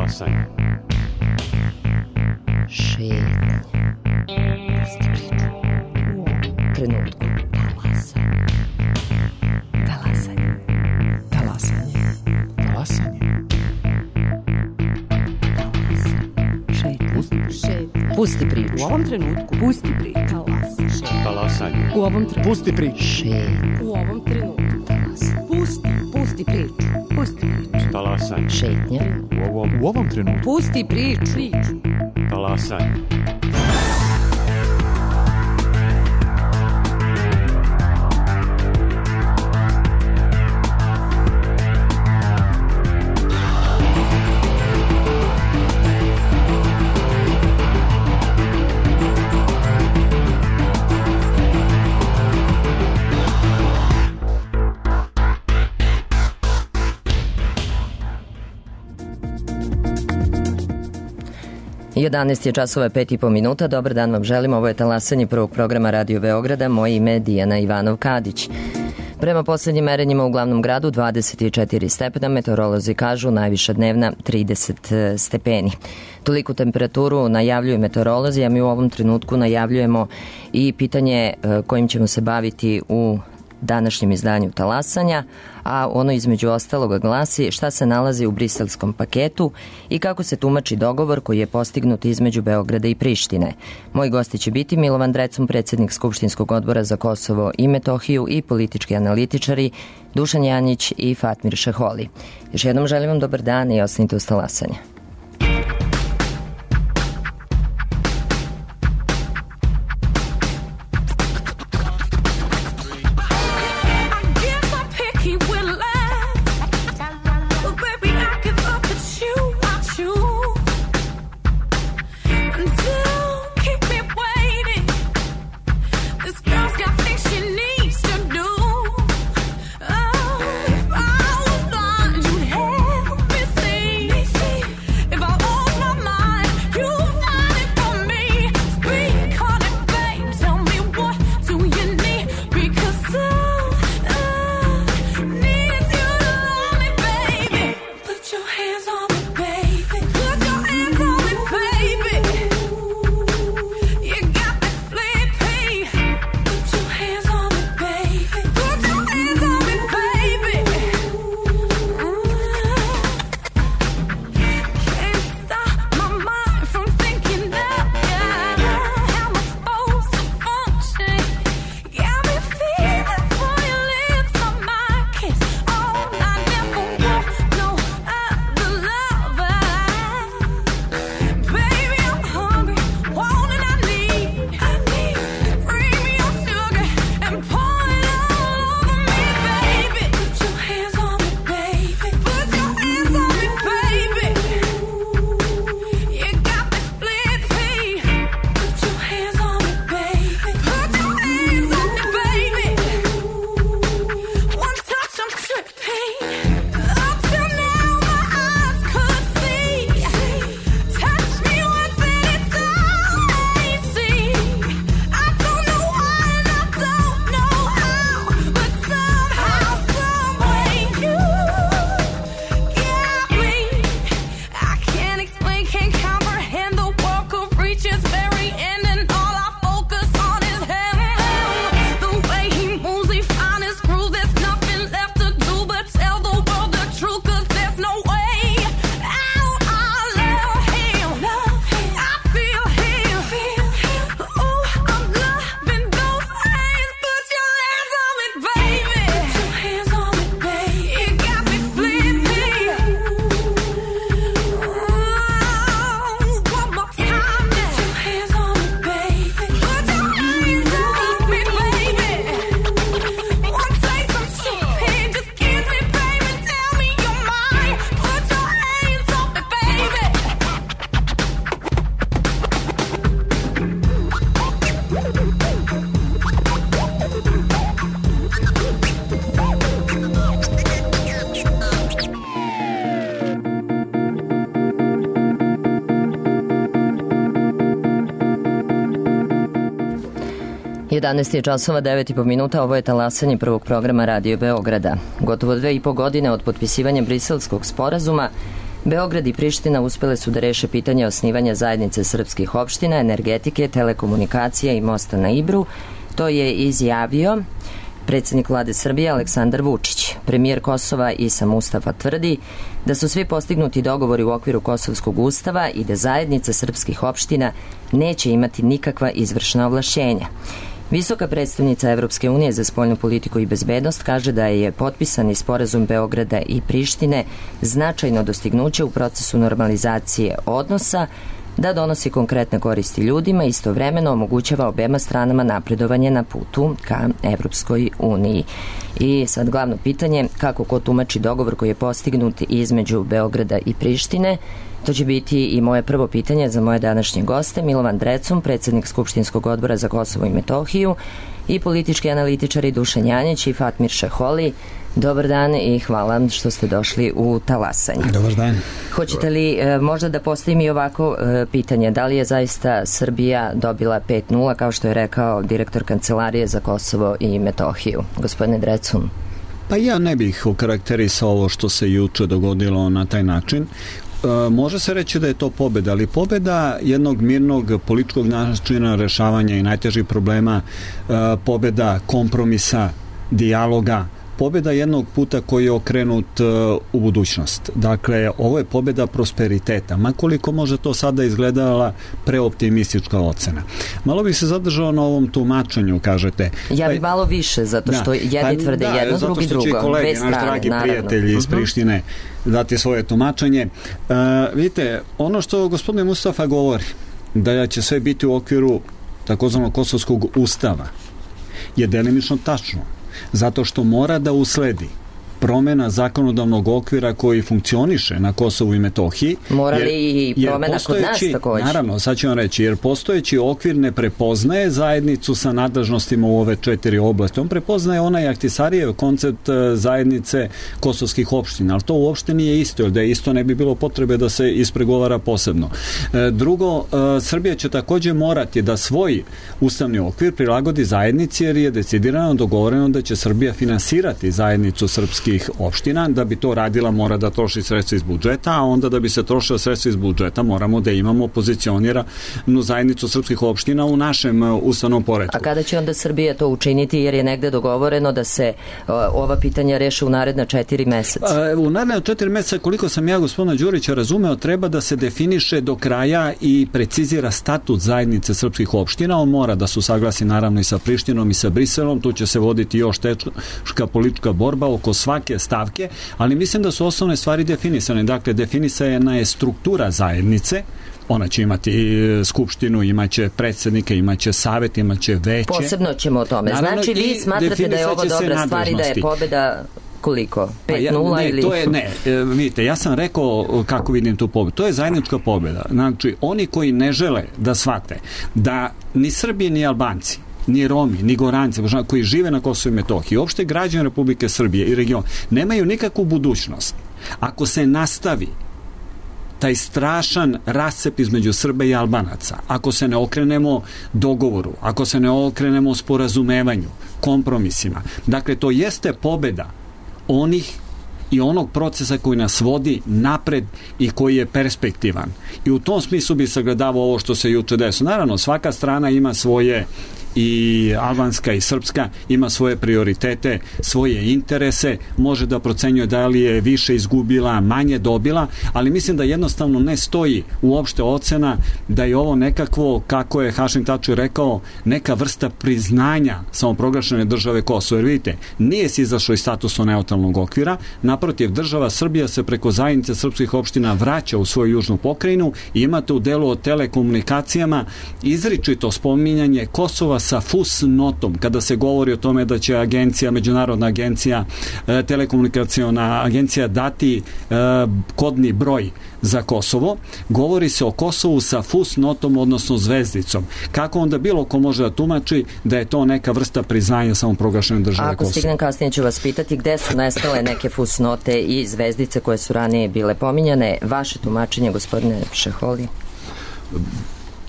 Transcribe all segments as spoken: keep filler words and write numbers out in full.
Talasanje. Šetnja. Pusti priču. U trenutku. Talasanje. Talasanje. Talasanje. Talasanje. Šetnja. Pusti. Šetnja. Pusti priču. U ovom trenutku. Pusti priču. Talasanje. Talasanje. U ovom trenutku. Pusti priču. Šetnja. U ovom trenutku. Talasanje. Pusti. Pusti priču. Pusti priču. Talasanje. Šetnja. U ovom, U ovom trenutku. Pusti priču. Priču. talasanje. jedanaest je časova, pet i po minuta. Dobar dan vam želim. Ovo je talasanje prvog programa Radio Beograda. Moje ime je Dijana Ivanov-Kadić. Prema poslednjim merenjima u glavnom gradu dvadeset četiri stepena, meteorolozi kažu najviša dnevna trideset stepeni. Toliku temperaturu najavljuju meteorolozi, a mi u ovom trenutku najavljujemo i pitanje kojim ćemo se baviti u današnjem izdanju talasanja, a ono između ostaloga glasi šta se nalazi u briselskom paketu i kako se tumači dogovor koji je postignut između Beograda i Prištine. Moji gosti će biti Milovan Drecun, predsjednik Skupštinskog odbora za Kosovo i Metohiju, i politički analitičari Dušan Janjić i Fatmir Šeholi. Još jednom želim vam dobar dan i ostanite uz talasanje. jedanaest je časova, devet i po minuta. Ovo je talasanje prvog programa Radio Beograda. Gotovo dve i po godine od potpisivanja Briselskog sporazuma Beograd i Priština uspele su da reše pitanje osnivanja zajednice srpskih opština, energetike, telekomunikacija i mosta na Ibru. To je izjavio predsjednik vlade Srbije Aleksandar Vučić. Premijer Kosova Isa Mustafa tvrdi da su svi postignuti dogovori u okviru Kosovskog ustava i da zajednica srpskih opština neće imati nikakva izvršna ovlašćenja. Visoka predstavnica Evropske unije za spoljnu politiku i bezbednost kaže da je potpisani sporazum Beograda i Prištine značajno dostignuće u procesu normalizacije odnosa, da donosi konkretne koristi ljudima i istovremeno omogućava obema stranama napredovanje na putu ka Evropskoj uniji. I sad glavno pitanje, kako ko tumači dogovor koji je postignut između Beograda i Prištine? To će biti i moje prvo pitanje za moje današnje goste, Milovan Drecun, predsjednik Skupštinskog odbora za Kosovo i Metohiju, i politički analitičari Dušan Janjić i Fatmir Šeholi. Dobar dan i hvala što ste došli u talasanje. Dobar dan. Hoćete li e, možda da postavim i ovako e, pitanje, da li je zaista Srbija dobila pet nula, kao što je rekao direktor Kancelarije za Kosovo i Metohiju? Gospodine Drecun. Pa ja ne bih okarakterisao ovo što se juče dogodilo na taj način. E, može se reći da je to pobeda, ali pobeda jednog mirnog političkog načina rešavanja i najtežih problema, e, pobeda kompromisa, dijaloga, pobjeda jednog puta koji je okrenut uh, u budućnost. Dakle, ovo je pobjeda prosperiteta, makoliko može to sada izgledala preoptimistička ocena. Malo bih se zadržao na ovom tumačenju, kažete. Ja bi malo više, zato što da, jedni tvrde da, jedno, drugi drugo. Zato što će kolege, strane, naš dragi naravno. prijatelji iz Prištine dati svoje tumačenje. Uh, vidite, ono što gospodin Mustafa govori, da će sve biti u okviru takozvanog kosovskog ustava, je delimično tačno. Zato što mora da usledi promena zakonodavnog okvira koji funkcioniše na Kosovu i Metohiji. Mora li i promena kod nas također? Naravno, sad ću vam reći, jer postojeći okvir ne prepoznaje zajednicu sa nadležnostima u ove četiri oblasti. On prepoznaje onaj Ahtisarijev koncept zajednice kosovskih opština, ali to uopšte nije isto, jer da je isto ne bi bilo potrebe da se ispregovara posebno. Drugo, Srbija će također morati da svoj ustavni okvir prilagodi zajednici, jer je decidirano dogovoreno da će Srbija finansirati zajednicu srpskih opština. Da bi to radila mora da troši sredstva iz budžeta, a onda da bi se trošila sredstva iz budžeta moramo da imamo pozicioniranu zajednicu srpskih opština u našem ustavnom poretku. A kada će onda Srbija to učiniti, jer je negde dogovoreno da se uh, ova pitanja reše u naredna četiri meseca? U naredna četiri meseca, koliko sam ja gospodina Đurića razumeo, treba da se definiše do kraja i precizira statut zajednice srpskih opština. On mora da se usaglasi naravno i sa Prištinom i sa Briselom. Tu će se voditi još teška politička borba oko svake stavke, ali mislim da su osnovne stvari definisane. Dakle, definisana je struktura zajednice. Ona će imati skupštinu, imaće predsjednika, imaće savjet, imaće veće. Posebno ćemo o tome. Naravno, znači, vi smatrate da je ovo dobra stvar i da je pobjeda koliko? pet nula pa ja, ne, ili... To je, ne, vidite, ja sam rekao kako vidim tu pobjedu. To je zajednička pobjeda. Znači, oni koji ne žele da shvate da ni Srbi ni Albanci, ni Romi, ni Goranci, koji žive na Kosovu i Metohiji, uopšte građani Republike Srbije i region, nemaju nikakvu budućnost. Ako se nastavi taj strašan rascep između Srba i Albanaca, ako se ne okrenemo dogovoru, ako se ne okrenemo sporazumevanju, kompromisima, dakle, to jeste pobjeda onih i onog procesa koji nas vodi napred i koji je perspektivan. I u tom smislu bi sagledavao ovo što se juče desilo. Naravno, svaka strana ima svoje, i albanska i srpska, ima svoje prioritete, svoje interese, može da procenjuje da li je više izgubila, manje dobila, ali mislim da jednostavno ne stoji uopšte ocena da je ovo nekakvo, kako je Hašim Tači rekao, neka vrsta priznanja samoproglašene države Kosovo. Jer vidite, nije se izašlo iz statusa neutralnog okvira, naprotiv, država Srbija se preko zajednice srpskih opština vraća u svoju južnu pokrajinu i imate u delu o telekomunikacijama izričito spominjanje Kosova sa fusnotom, kada se govori o tome da će agencija, međunarodna agencija, e, telekomunikacijona agencija dati e, kodni broj za Kosovo, govori se o Kosovu sa fusnotom, odnosno zvezdicom. Kako onda bilo ko može da tumači da je to neka vrsta priznanja samoproglašene države Kosovo? Ako stignem kasnije ću vas pitati gde su nestale neke fusnote i zvezdice koje su ranije bile pominjane. Vaše tumačenje, gospodine Šeholi?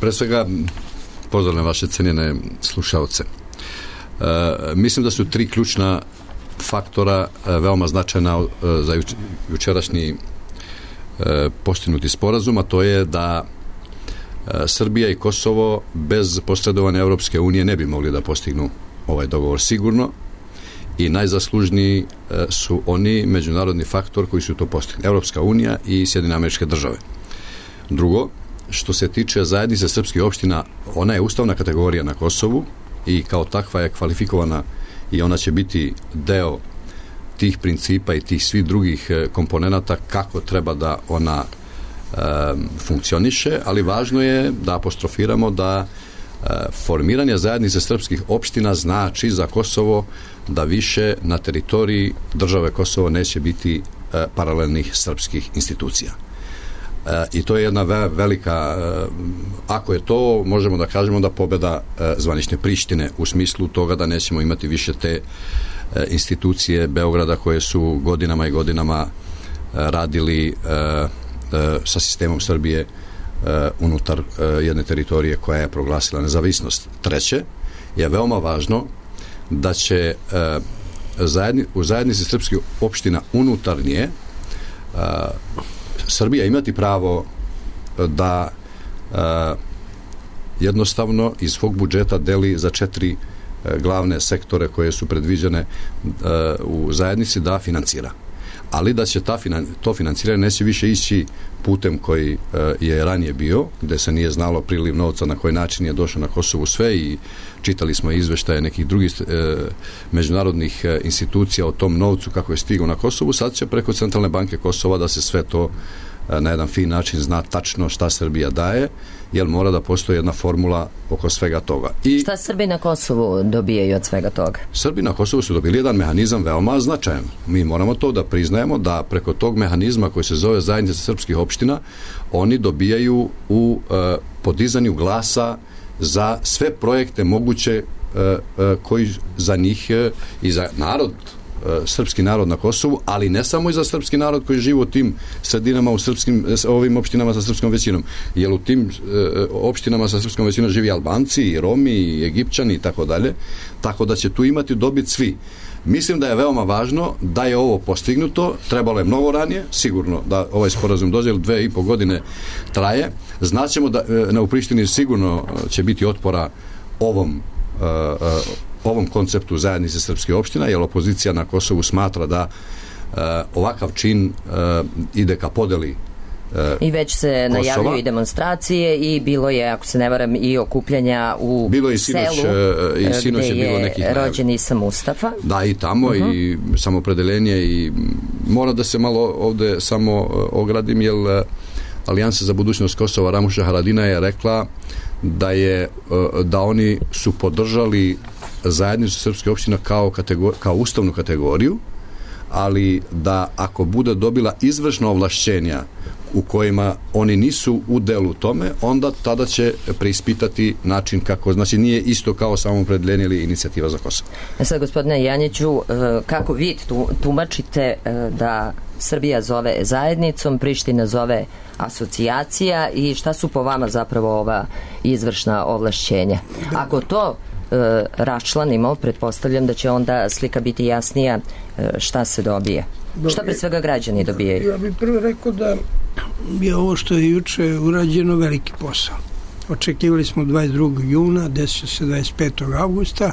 Pre svega, pozdravljam vaše cenjene slušaoce. E, mislim da su tri ključna faktora e, veoma značajna e, za juč, jučerašnji postignuti sporazum, a to je da Srbija i Kosovo bez posredovanja Europske unije ne bi mogli da postignu ovaj dogovor sigurno, i najzaslužniji su oni međunarodni faktor koji su to postigli, Europska unija i Sjedinjene Američke Države. Drugo, što se tiče zajednice srpskih opština, ona je ustavna kategorija na Kosovu i kao takva je kvalifikovana i ona će biti deo tih principa i tih svih drugih komponenata kako treba da ona e, funkcioniše, ali važno je da apostrofiramo da e, formiranje zajednice srpskih opština znači za Kosovo da više na teritoriji države Kosovo neće biti e, paralelnih srpskih institucija. E, I to je jedna ve, velika, e, ako je to, možemo da kažemo da pobeda e, zvanične Prištine u smislu toga da nećemo imati više te e, institucije Beograda koje su godinama i godinama e, radili e, e, sa sistemom Srbije e, unutar e, jedne teritorije koja je proglasila nezavisnost. Treće, je veoma važno da će e, zajedni, u zajednici srpskih opština unutarnje e, Srbija imati pravo da e, jednostavno iz svog budžeta deli za četiri e, glavne sektore koje su predviđene e, u zajednici da financira. Ali da će ta finan, to financiranje neće više ići putem koji e, je ranije bio, gde se nije znalo priliv novca na koji način je došao na Kosovu sve, i čitali smo izveštaje nekih drugih e, međunarodnih e, institucija o tom novcu kako je stigao na Kosovu. Sad će preko Centralne banke Kosova da se sve to e, na jedan fin način zna tačno šta Srbija daje, jer mora da postoji jedna formula oko svega toga. I šta Srbi na Kosovu dobijaju od svega toga? Srbi na Kosovu su dobili jedan mehanizam veoma značajan. Mi moramo to da priznajemo, da preko tog mehanizma koji se zove zajednica srpskih opština, oni dobijaju u e, podizanju glasa za sve projekte moguće e, e, koji za njih e, i za narod, e, srpski narod na Kosovu, ali ne samo i za srpski narod koji živi u tim sredinama, u srpskim, ovim opštinama sa srpskom većinom, jer u tim e, opštinama sa srpskom većinom živi Albanci i Romi i Egipćani i tako dalje, tako da će tu imati dobit svi. Mislim da je veoma važno da je ovo postignuto, trebalo je mnogo ranije, sigurno da ovaj sporazum dođe, ili dve i po godine traje. Znaćemo da na u Prištini sigurno će biti otpora ovom, uh, uh, ovom konceptu zajednice srpskih opština, jer opozicija na Kosovu smatra da uh, ovakav čin uh, ide ka podeli I već se najavljuju i demonstracije i bilo je, ako se ne varam, i okupljanja u bilo je sinoć, selu i sinoć gde je, bilo nekih je rođen Isa Mustafa. Da, i tamo uh-huh. i samopredeljenje, i mora da se malo ovde samo ogradim, jer Alijansa za budućnost Kosova Ramuša Haradina je rekla da je da oni su podržali zajednicu srpske opštine kao, kategor, kao ustavnu kategoriju, ali da ako bude dobila izvršna ovlašćenja u kojima oni nisu u delu tome, onda tada će preispitati način kako, znači nije isto kao samopredeljenje ili inicijativa za Kosovo. E sad, gospodine Janjiću, kako vi tumačite da Srbija zove zajednicom, Priština zove asocijacija, i šta su po vama zapravo ova izvršna ovlašćenja? Ako to e, raščlanimo, pretpostavljam da će onda slika biti jasnija e, šta se dobije. Dobro. Šta pre svega građani dobijaju? Ja bih prvo rekao da je ovo što je juče urađeno veliki posao. Očekivali smo dvadeset drugog juna, desit će se dvadeset petog avgusta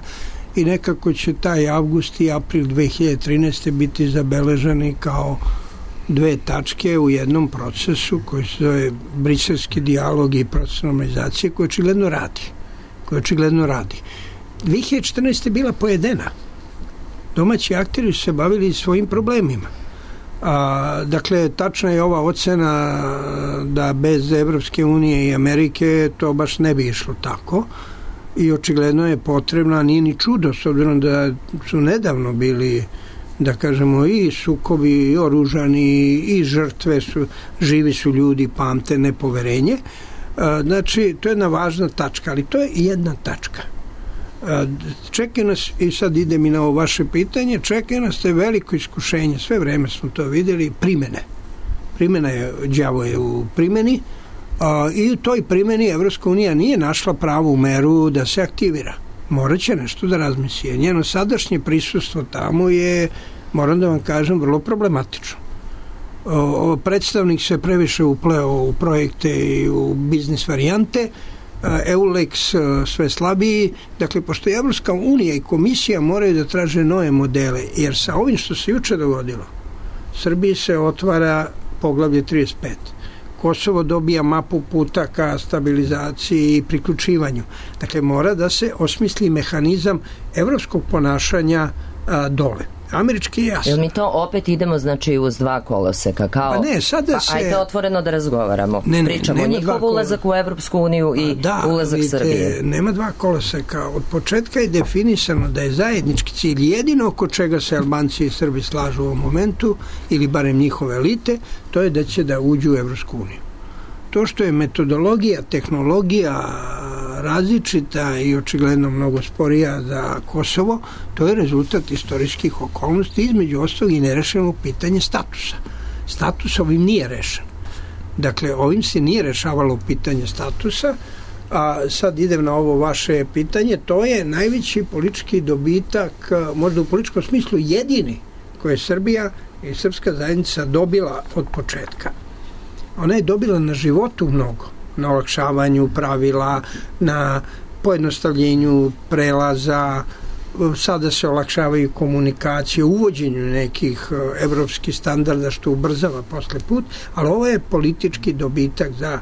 i nekako će taj avgust i april dve hiljade trinaeste. biti zabeleženi kao dve tačke u jednom procesu koji se zove briselski dijalog i proces normalizacije, koji očigledno radi. Koji očigledno radi. dve hiljade četrnaeste. je bila pojedena. Domaći akteri su se bavili svojim problemima. A, dakle, tačna je ova ocena da bez Evropske unije i Amerike to baš ne bi išlo tako, i očigledno je potrebno, a nije ni čudo, s obzirom da su nedavno bili, da kažemo, i sukobi, i oružani, i žrtve su, živi su ljudi, pamte nepoverenje. A, znači, to je jedna važna tačka, ali to je jedna tačka. Čeka nas, i sad idem i na ovo vaše pitanje, čeka nas te veliko iskušenje, sve vreme smo to videli, primene. Primena je, đavo je u primeni, a, i u toj primeni Evropska unija nije našla pravu meru da se aktivira. Morat će nešto da razmisli. Njeno sadašnje prisustvo tamo je, moram da vam kažem, vrlo problematično. o, predstavnik se previše upleo u projekte i u biznis varijante, Eulex sve slabiji, dakle pošto je Evropska unija i komisija moraju da traže nove modele, jer sa ovim što se juče dogodilo, Srbiji se otvara poglavlje trideset pet. Kosovo dobija mapu puta ka stabilizaciji i priključivanju. Dakle, mora da se osmisli mehanizam evropskog ponašanja a, dole. Američki je jasno. Jel mi to opet idemo znači uz dva koloseka? Kao, pa ne, sada pa, se... Ajde otvoreno da razgovaramo. Ne, ne, Pričamo njihov ulazak u Evropsku uniju i da, ulazak vidite, Srbije. Nema dva koloseka. Od početka je definisano da je zajednički cilj jedino oko čega se Albanci i Srbi slažu u ovom momentu, ili barem njihove elite, to je da će da uđu u Evropsku uniju. To što je metodologija, tehnologija različita i očigledno mnogo sporija za Kosovo, to je rezultat istorijskih okolnosti, između ostalog i nerešeno pitanje statusa. Status ovim nije rešen. Dakle, ovim se nije rešavalo pitanje statusa, a sad idem na ovo vaše pitanje, to je najveći politički dobitak, možda u političkom smislu jedini, koje je Srbija i srpska zajednica dobila od početka. Ona je dobila na životu mnogo, na olakšavanju pravila, na pojednostavljenju prelaza, sada se olakšavaju komunikacije, uvođenju nekih evropskih standarda što ubrzava posle put, ali ovo je politički dobitak za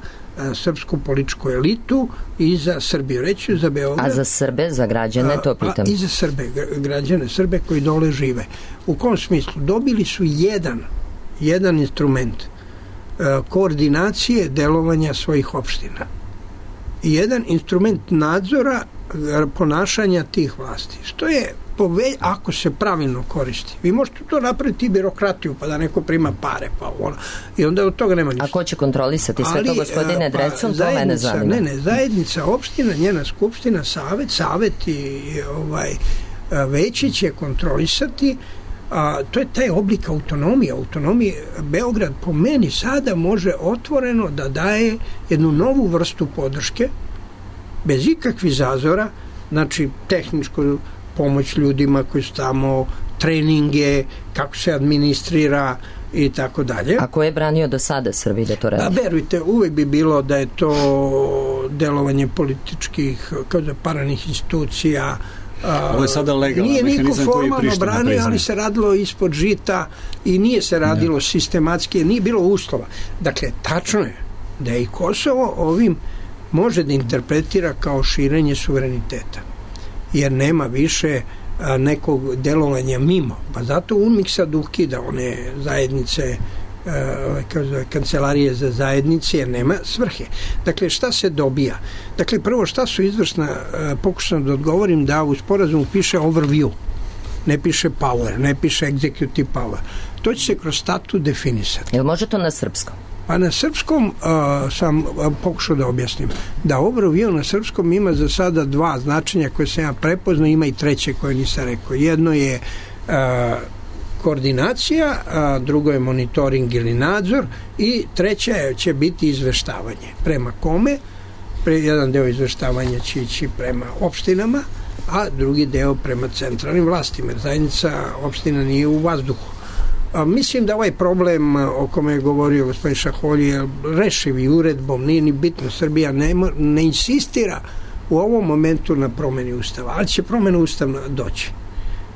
srpsku političku elitu i za Srbiju, reći za Beograd. A za Srbe, za građane, to pitam. A, i za Srbe, građane Srbe koji dole žive. U kom smislu? Dobili su jedan, jedan instrument koordinacije delovanja svojih opština. I jedan instrument nadzora ponašanja tih vlasti. Što je, pove, ako se pravilno koristi. Vi možete to napraviti i birokratiju, pa da neko prima pare, pa ono. I onda od toga nema ništa. A ko će kontrolisati sve to, gospodine pa, Drecun? To mene zanima. Ne, ne, zajednica, opština, njena skupština, savet, savet i ovaj, veći će kontrolisati. A, to je taj oblik autonomije. Autonomije Beograd po meni sada može otvoreno da daje jednu novu vrstu podrške bez ikakvih zazora, znači tehničku pomoć ljudima koji su tamo, treninge, kako se administrira i tako dalje. A ko je branio do sada Srbiji da to radi? A verujte, uvek bi bilo da je to delovanje političkih, kao da paranih institucija. Ovo je sada legalan mehanizam koji je Priština priznaje. Branio, ali se radilo ispod žita i nije se radilo ne. sistematski, nije bilo uslova. Dakle, tačno je da je i Kosovo ovim može da interpretira kao širenje suvereniteta. Jer nema više a, nekog delovanja mimo. Pa zato UNMIK sad ukida one zajednice, a, kancelarije za zajednice, jer nema svrhe. Dakle, šta se dobija? Dakle, prvo, šta su izvršna, pokušam da odgovorim da u sporazumu piše overview, ne piše power, ne piše executive power. To će se kroz statut definisati. Jel može to na srpskom? Pa na srpskom uh, sam uh, pokušao da objasnim. Da overview na srpskom ima za sada dva značenja koje sam ja prepoznao, ima i treće koje nisam rekao. Jedno je uh, koordinacija, a drugo je monitoring ili nadzor i treće će biti izveštavanje. Prema kome? Pre, jedan deo izveštavanja će ići prema opštinama, a drugi deo prema centralnim vlastima. Zajednica opština nije u vazduhu. A, mislim da ovaj problem o kome je govorio gospodin Šaholji je rešiv i uredbom, nije ni bitno. Srbija ne, ne insistira u ovom momentu na promeni ustava, ali će promena ustava doći.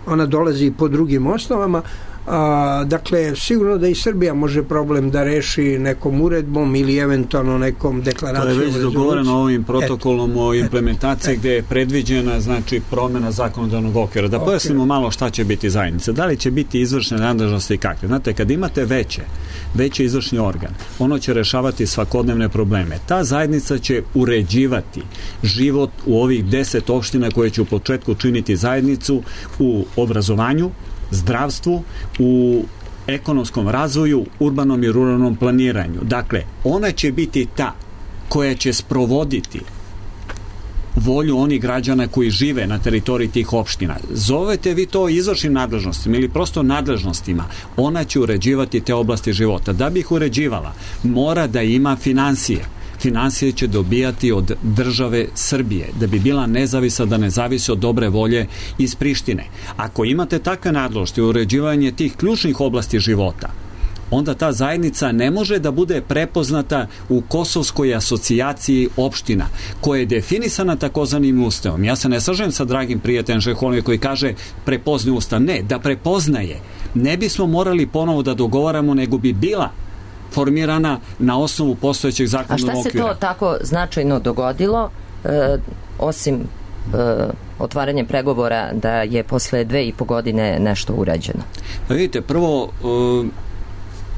Ona dolazi po drugim osnovama. A, dakle, sigurno da i Srbija može problem da reši nekom uredbom ili eventualno nekom deklaracijom. To je već dogovoreno ovim protokolom Eto. o implementaciji e. gde je predviđena znači promena zakonodavnog okvira. Da okay. pojasnimo malo šta će biti zajednica. Da li će biti izvršne nadležnosti i kakve? Znate, kad imate veće, veći izvršni organ, ono će rešavati svakodnevne probleme. Ta zajednica će uređivati život u ovih deset opština koje će u početku činiti zajednicu u obrazovanju, zdravstvu, u ekonomskom razvoju, urbanom i ruralnom planiranju. Dakle, ona će biti ta koja će sprovoditi volju onih građana koji žive na teritoriji tih opština. Zovete vi to izvršnim nadležnostima ili prosto nadležnostima. Ona će uređivati te oblasti života. Da bi ih uređivala, mora da ima finansije. Finansije će dobijati od države Srbije, da bi bila nezavisna, da ne zavisi od dobre volje iz Prištine. Ako imate takve nadležnosti, uređivanje tih ključnih oblasti života, onda ta zajednica ne može da bude prepoznata u Kosovskoj asocijaciji opština, koja je definisana takozvanim ustavom. Ja se ne slažem sa dragim prijateljem Šeholije koji kaže prepozni ustav. Ne, da prepoznaje. Ne bismo morali ponovo da dogovaramo, nego bi bila formirana na osnovu postojećeg zakonodavnog okvira. A šta se to tako značajno dogodilo, e, osim e, otvaranje pregovora, da je posle dve i po godine nešto urađeno? Vidite, prvo, e,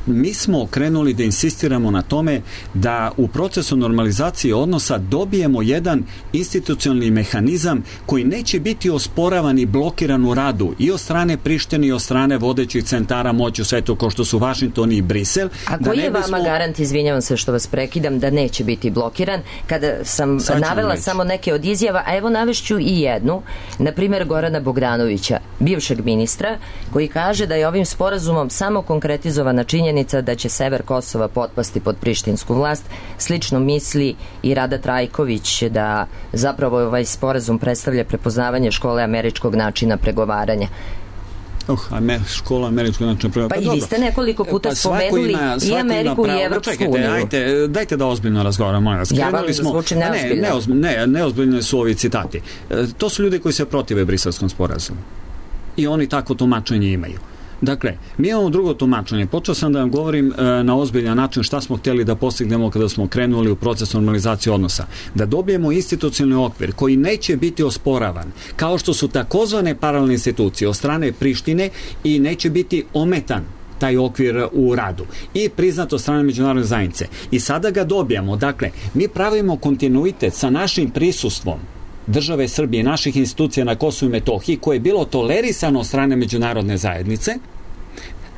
mi smo krenuli da insistiramo na tome da u procesu normalizacije odnosa dobijemo jedan institucionalni mehanizam koji neće biti osporavan i blokiran u radu i od strane Prištine i od strane vodećih centara moći u svetu kao što su Vašington i Brisel. A koji je vama bismo... garant, izvinjavam se što vas prekidam, da neće biti blokiran? Kada sam Sad navela samo neke od izjava, a evo navešću i jednu, na primjer Gorana Bogdanovića, bivšeg ministra, koji kaže da je ovim sporazumom samo konkretizovana činjenica da će sever Kosova potpasti pod prištinsku vlast. Slično misli i Rada Trajković, da zapravo ovaj sporazum predstavlja prepoznavanje škole američkog načina pregovaranja. Uh, amer, škola američkog načina pregovaranja. Pa, pa i vi ste nekoliko puta pa spomenuli ima, i Ameriku i Evropsku čekajte, uniju. Ajte, dajte da ozbiljno razgovaramo. Ja vam zvučim neozbiljno. Ne, neozbiljno, ne, neozbiljno su ovi citati. To su ljudi koji se protive Briselskom sporazumu. I oni tako tumačenje imaju. Dakle, mi imamo drugo tumačenje. Počeo sam da vam govorim e, na ozbiljan način šta smo htjeli da postignemo kada smo krenuli u proces normalizacije odnosa. Da dobijemo institucionalni okvir koji neće biti osporavan, kao što su takozvane paralelne institucije od strane Prištine, i neće biti ometan taj okvir u radu i priznato od strane međunarodne zajednice. I sada ga dobijamo. Dakle, mi pravimo kontinuitet sa našim prisustvom države Srbije, naših institucija na Kosovu i Metohiji, koje je bilo tolerisano od strane međunarodne zajednice,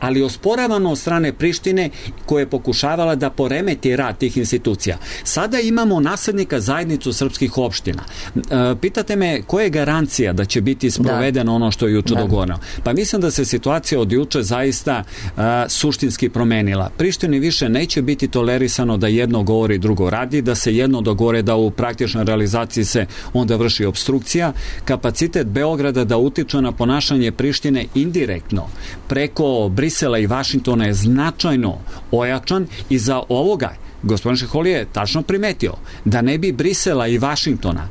ali osporavano od strane Prištine, koja je pokušavala da poremeti rad tih institucija. Sada imamo naslednika zajednicu srpskih opština. E, pitate me koja je garancija da će biti sprovedeno da. ono što je juče da. dogovoreno. Pa mislim da se situacija od juče zaista a, suštinski promenila. Prištini više neće biti tolerisano da jedno govori, drugo radi, da se jedno dogovore, da u praktičnoj realizaciji se onda vrši obstrukcija. Kapacitet Beograda da utiče na ponašanje Prištine indirektno preko Brisela i Vašingtona je značajno ojačan, i za ovoga gospodin Šeholije je tačno primetio da ne bi Brisela i Vašingtona,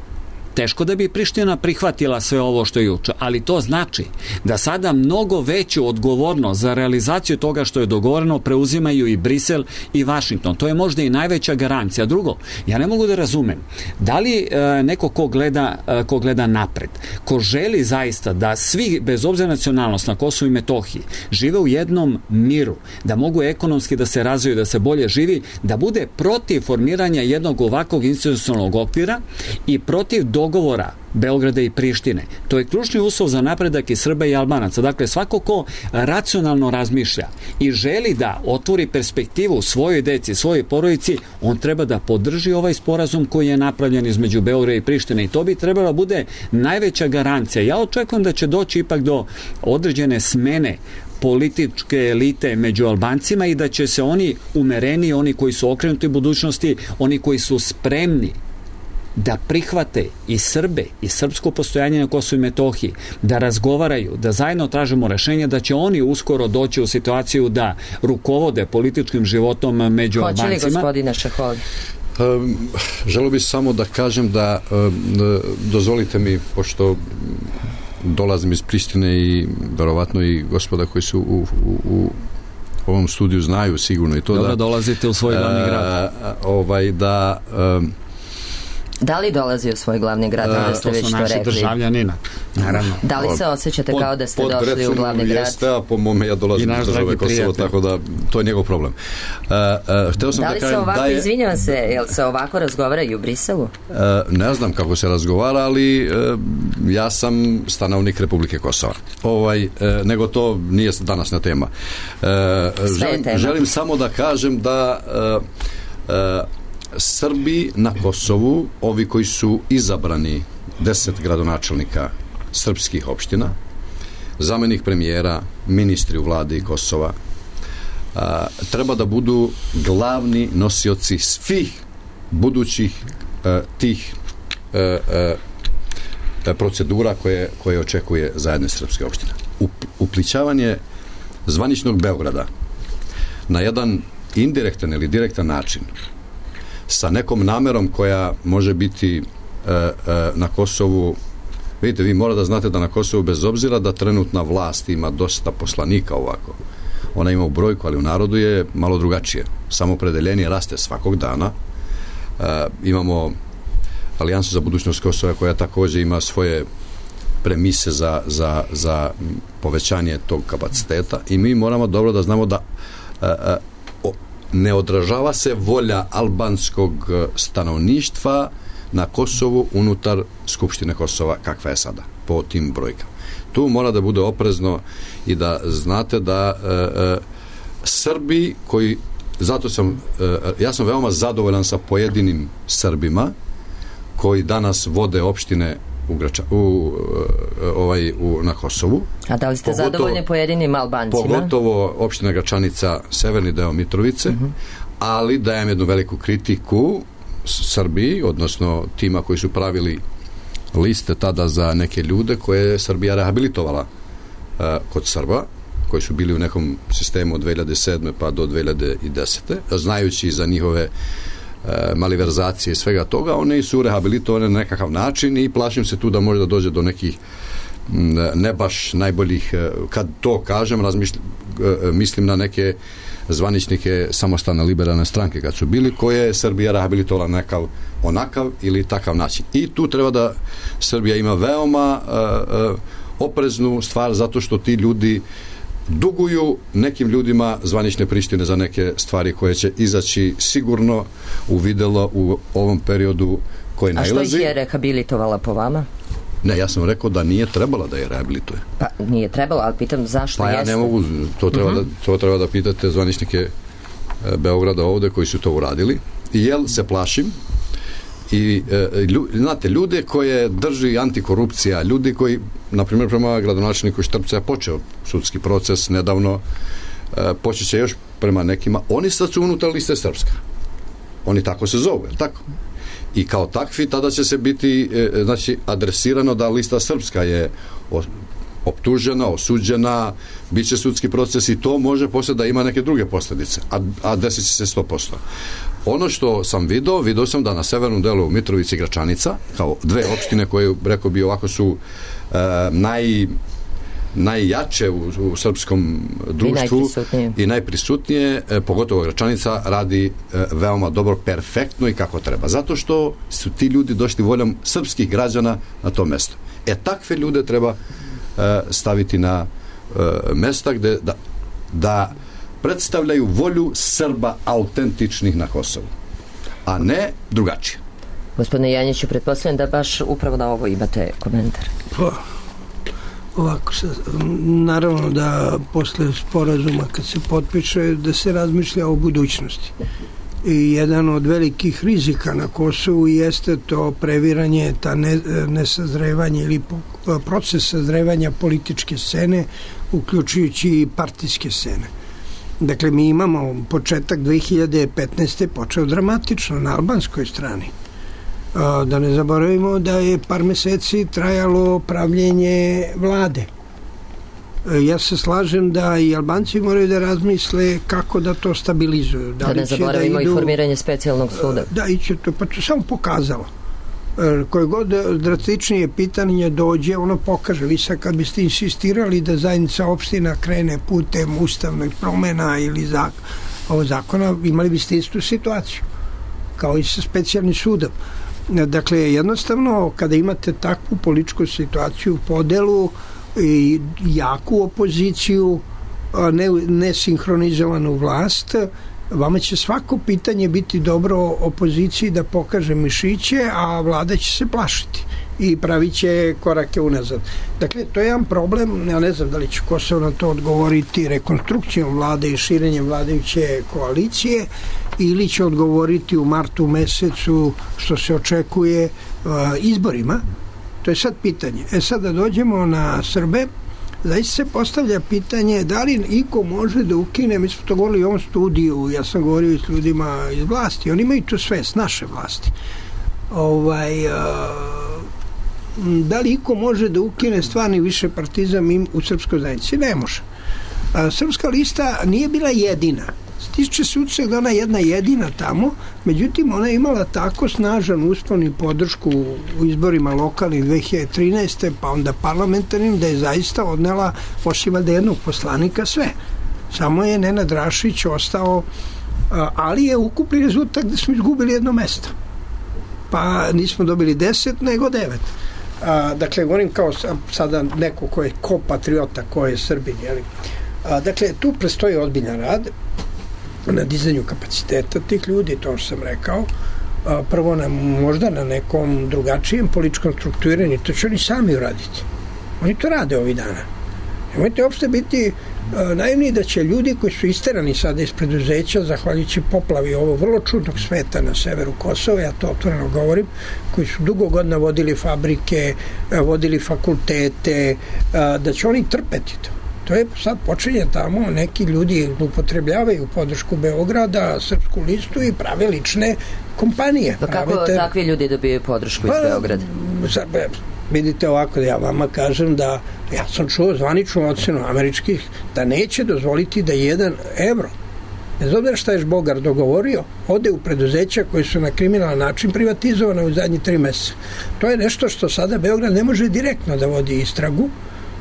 teško da bi Priština prihvatila sve ovo što je juče, ali to znači da sada mnogo veću odgovornost za realizaciju toga što je dogovoreno preuzimaju i Brisel i Vašington. To je možda i najveća garancija. Drugo, ja ne mogu da razumem da li e, neko ko gleda, e, ko gleda napred, ko želi zaista da svi, bez obzira nacionalnost na Kosovu i Metohiji, žive u jednom miru, da mogu ekonomski da se razviju, da se bolje živi, da bude protiv formiranja jednog ovakvog institucionalnog okvira i protiv dogovora Beograda i Prištine. To je ključni uslov za napredak i Srba i Albanaca. Dakle, svako ko racionalno razmišlja i želi da otvori perspektivu svojoj deci, svojoj porodici, on treba da podrži ovaj sporazum koji je napravljen između Beograda i Prištine, i to bi trebalo bude najveća garancija. Ja očekujem da će doći ipak do određene smene političke elite među Albancima i da će se oni umereni, oni koji su okrenuti budućnosti, oni koji su spremni da prihvate i Srbe i srpsko postojanje na Kosovu i Metohiji, da razgovaraju, da zajedno tražimo rešenje, da će oni uskoro doći u situaciju da rukovode političkim životom među Albancima. Hoće li gospodine Šeholi? Um, želio bih samo da kažem da um, dozvolite mi, pošto dolazim iz Prištine i verovatno i gospoda koji su u, u, u ovom studiju znaju sigurno i to. Dobro, da dolazite u svoj glavni grad. Uh, ovaj, da um, Da li dolazi u svoj glavni grad, da ste već to rekli? To su naši državljanina, naravno. Da li se osjećate kao da ste došli u glavni grad? Jeste, a po mome ja dolazim iz države Kosovo, tako da to je njegov problem. Uh, uh, hteo sam da li da se ovako, da je, izvinjavam se, jel se ovako razgovara i u Briselu? Uh, ne znam kako se razgovara, ali uh, ja sam stanovnik Republike Kosova. Ovaj, uh, nego to nije današnja tema. Uh, želim, tema. Želim samo da kažem da uh, uh, Srbi na Kosovu, ovi koji su izabrani, deset gradonačelnika srpskih opština, zamenik premijera, ministri u vladi Kosova, a, treba da budu glavni nosioci svih budućih a, tih a, a, procedura koje, koje očekuje zajedne srpske opštine. Up, uplićavanje zvaničnog Beograda na jedan indirektan ili direktan način sa nekom namerom koja može biti e, e, na Kosovu. Vidite, vi morate da znate da na Kosovu, bez obzira da trenutna vlast ima dosta poslanika ovako, ona ima u brojku, ali u narodu je malo drugačije. Samopredeljenje raste svakog dana. E, imamo Alijansu za budućnost Kosova koja također ima svoje premise za, za, za povećanje tog kapaciteta i mi moramo dobro da znamo da e, e, o, ne odražava se volja albanskog stanovništva na Kosovu unutar Skupštine Kosova kakva je sada po tim brojkama. Tu mora da bude oprezno i da znate da e, e, Srbi koji, zato sam e, ja sam veoma zadovoljan sa pojedinim Srbima koji danas vode opštine u, Grača, u, ovaj, u, na Kosovu. A da li ste pogotovo, zadovoljni pojedinim Albancima? Pogotovo opština Gračanica, severni deo Mitrovice, uh-huh. ali dajem jednu veliku kritiku Srbiji, odnosno tima koji su pravili liste tada za neke ljude koje je Srbija rehabilitovala uh, kod Srba, koji su bili u nekom sistemu od dve hiljade sedme pa do dve hiljade desete znajući za njihove e, maliverzacije i svega toga, one su rehabilitovane na nekakav način i plašim se tu da može da dođe do nekih ne baš najboljih, kad to kažem razmišlj, mislim na neke zvaničnike samostalne liberalne stranke kad su bili, koje je Srbija rehabilitovala nekav onakav ili takav način. I tu treba da Srbija ima veoma e, e, opreznu stvar, zato što ti ljudi duguju nekim ljudima zvanične Prištine za neke stvari koje će izaći sigurno u videlo u ovom periodu koji nailazi. A što ih je rehabilitovala po vama? Ne, ja sam rekao da nije trebala da je rehabilituje. Pa nije trebala, ali pitam zašto pa ja jeste? ne mogu, to treba, uh-huh. da, to treba da pitate zvaničnike e, Beograda ovde koji su to uradili. I jel se plašim i e, lju, znate, ljude koje drži antikorupcija, ljudi koji, na primjer prema gradonačelniku Štrpca je počeo sudski proces nedavno, e, počeće još prema nekima, oni sad su unutar liste Srpska. Oni tako se zove, tako? I kao takvi tada će se biti e, znači adresirano da lista Srpska je o, optužena, osuđena, bit će sudski proces i to može poslije da ima neke druge posljedice, a, a desit će se sto posto. Ono što sam vidio, vidio sam da na severnom delu Mitrovici i Gračanica, kao dve opštine koje, rekao bi, ovako su e, naj, najjače u, u srpskom društvu i najprisutnije, i najprisutnije e, pogotovo Gračanica radi e, veoma dobro, perfektno i kako treba. Zato što su ti ljudi došli voljom srpskih građana na to mesto. E, takve ljude treba e, staviti na e, mesta gde da, da predstavljaju volju Srba autentičnih na Kosovu, a ne drugačije. Gospodine Janjiću, pretpostavljam da baš upravo na ovo imate komentar. Pa, ovako, naravno da posle sporazuma kad se potpiše da se razmišlja o budućnosti. I jedan od velikih rizika na Kosovu jeste to previranje, ta ne, nesazrevanje ili proces sazrevanja političke scene, uključujući i partijske scene. Dakle, mi imamo početak dve hiljade petnaeste počeo dramatično na albanskoj strani. Da ne zaboravimo da je par meseci trajalo pravljenje vlade. Ja se slažem da i Albanci moraju da razmisle kako da to stabilizuju. Da, da ne zaboravimo da idu, i formiranje specijalnog suda. Da, i će to, pa to samo pokazalo. Koje god drastičnije pitanje dođe, ono pokaže. Vi sad kad biste insistirali da zajednica opština krene putem ustavnih promena ili zak, ovo zakona, imali biste istu situaciju kao i sa specijalnim sudom. Dakle, jednostavno, kada imate takvu političku situaciju, podelu i jaku opoziciju, ne, nesinhronizovanu vlast, vama će svako pitanje biti dobro opoziciji da pokaže mišiće, a vlada će se plašiti i pravit će korake unazad. Dakle, to je jedan problem, ja ne znam da li će Kosovo na to odgovoriti rekonstrukcijom vlade i širenjem vladajuće koalicije ili će odgovoriti u martu mesecu, što se očekuje, izborima. To je sad pitanje. E sad da dođemo na Srbe, zaista se postavlja pitanje da li iko može da ukine, mi smo to govorili u ovom studiju, ja sam govorio i s ljudima iz vlasti, oni imaju to sve s naše vlasti. Ovaj, a, da li iko može da ukine stvarni višepartizam u srpskoj zajednici? Ne može. A, srpska lista nije bila jedina. se tiče sudstva, da ona jedna jedina tamo, međutim ona je imala tako snažan uspon i podršku u izborima lokalnih dve hiljade trinaeste pa onda parlamentarnim, da je zaista odnela osim da jednog poslanika sve. Samo je Nenad Rašić ostao, ali je ukupni rezultat da smo izgubili jedno mesto. Pa nismo dobili deset, nego devet. A, dakle, govorim kao sada neko ko je ko patriota, ko je Srbin, jeli? A, dakle, tu prestoji ozbiljan rad na dizanju kapaciteta tih ljudi, to što sam rekao, a, prvo na, možda na nekom drugačijem političkom strukturiranju, to će oni sami uraditi. Oni to rade ovih dana. Nemojte uopšte biti uh, naivni da će ljudi koji su isterani sada iz preduzeća, zahvaljujući poplavi ovo vrlo čudnog sveta na severu Kosova, ja to otvoreno govorim, koji su dugo godina vodili fabrike, uh, vodili fakultete, uh, da će oni trpeti to. To je sad počinje tamo, neki ljudi upotrebljavaju podršku Beograda, Srpsku listu i prave lične kompanije. Pa kako Pravite... takvi ljudi dobijaju podršku iz pa, Beograda? Sad, vidite ovako da ja vama kažem da ja sam čuo zvaničnu ocenu američkih da neće dozvoliti da jedan evro, bez obzira šta je Bogar dogovorio, ode u preduzeća koji su na kriminalan način privatizovane u zadnji tri meseca. To je nešto što sada Beograd ne može direktno da vodi istragu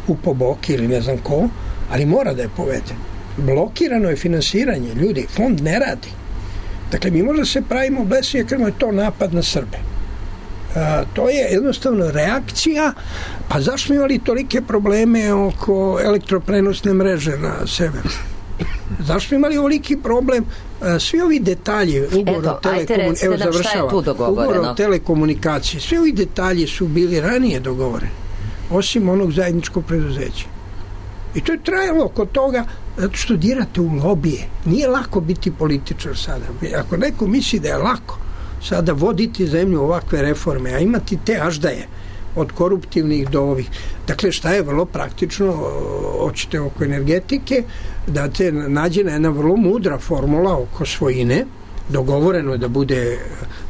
u Poboki ili ne znam ko, ali mora da je povede. Blokirano je finansiranje, ljudi, fond ne radi. Dakle, mi možda se pravimo blesavi, jer je to napad na Srbe. A, to je jednostavno reakcija. Pa zašto smo imali tolike probleme oko elektroprenosne mreže na severu? Zašto smo imali ovoliki problem? A, svi ovi detalji ugovor o telekomunikaciji, evo završava, ugovor o telekomunikaciji, svi ovi detalji su bili ranije dogovoreni, osim onog zajedničkog preduzeća. I to je trajalo kod toga zato što dirate u lobije. Nije lako biti političar sada. Ako neko misli da je lako sada voditi zemlju ovakve reforme, a imati te aždaje od koruptivnih do ovih. Dakle, šta je vrlo praktično, hoćete oko energetike, da te nađena jedna vrlo mudra formula oko svojine, dogovoreno je da bude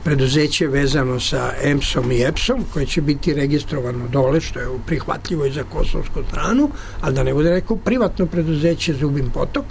preduzeće vezano sa E M S-om i E P S-om, koje će biti registrovano dole, što je prihvatljivo i za kosovsku stranu, ali da ne bude neko privatno preduzeće Zubin Potok.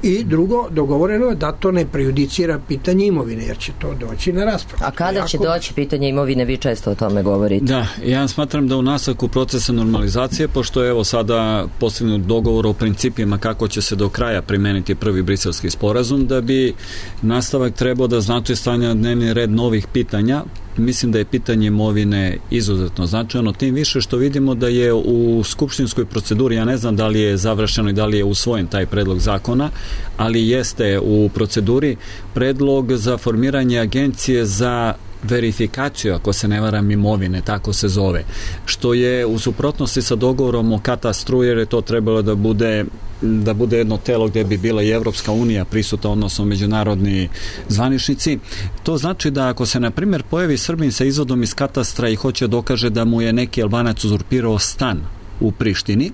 I drugo, dogovoreno je da to ne prejudicira pitanje imovine, jer će to doći na raspravu. A kada će doći pitanje imovine? Vi često o tome govorite. Da, ja smatram da u nastavku procesa normalizacije, pošto je evo sada postignut dogovor o principima kako će se do kraja primeniti prvi briselski sporazum, da bi nastavak trebao da znači stavljanje na dnevni red novih pitanja. Mislim da je pitanje imovine izuzetno značajno, tim više što vidimo da je u skupštinskoj proceduri, ja ne znam da li je završeno i da li je usvojen taj predlog zakona, ali jeste u proceduri predlog za formiranje agencije za verifikaciju, ako se ne varam, imovine, tako se zove, što je u suprotnosti sa dogovorom o katastru, jer je to trebalo da bude da bude jedno telo gdje bi bila i Evropska unija prisutna, odnosno međunarodni zvaničnici. To znači da ako se, na primjer, pojavi Srbin sa izvodom iz katastra i hoće dokaže da mu je neki Albanac uzurpirao stan u Prištini,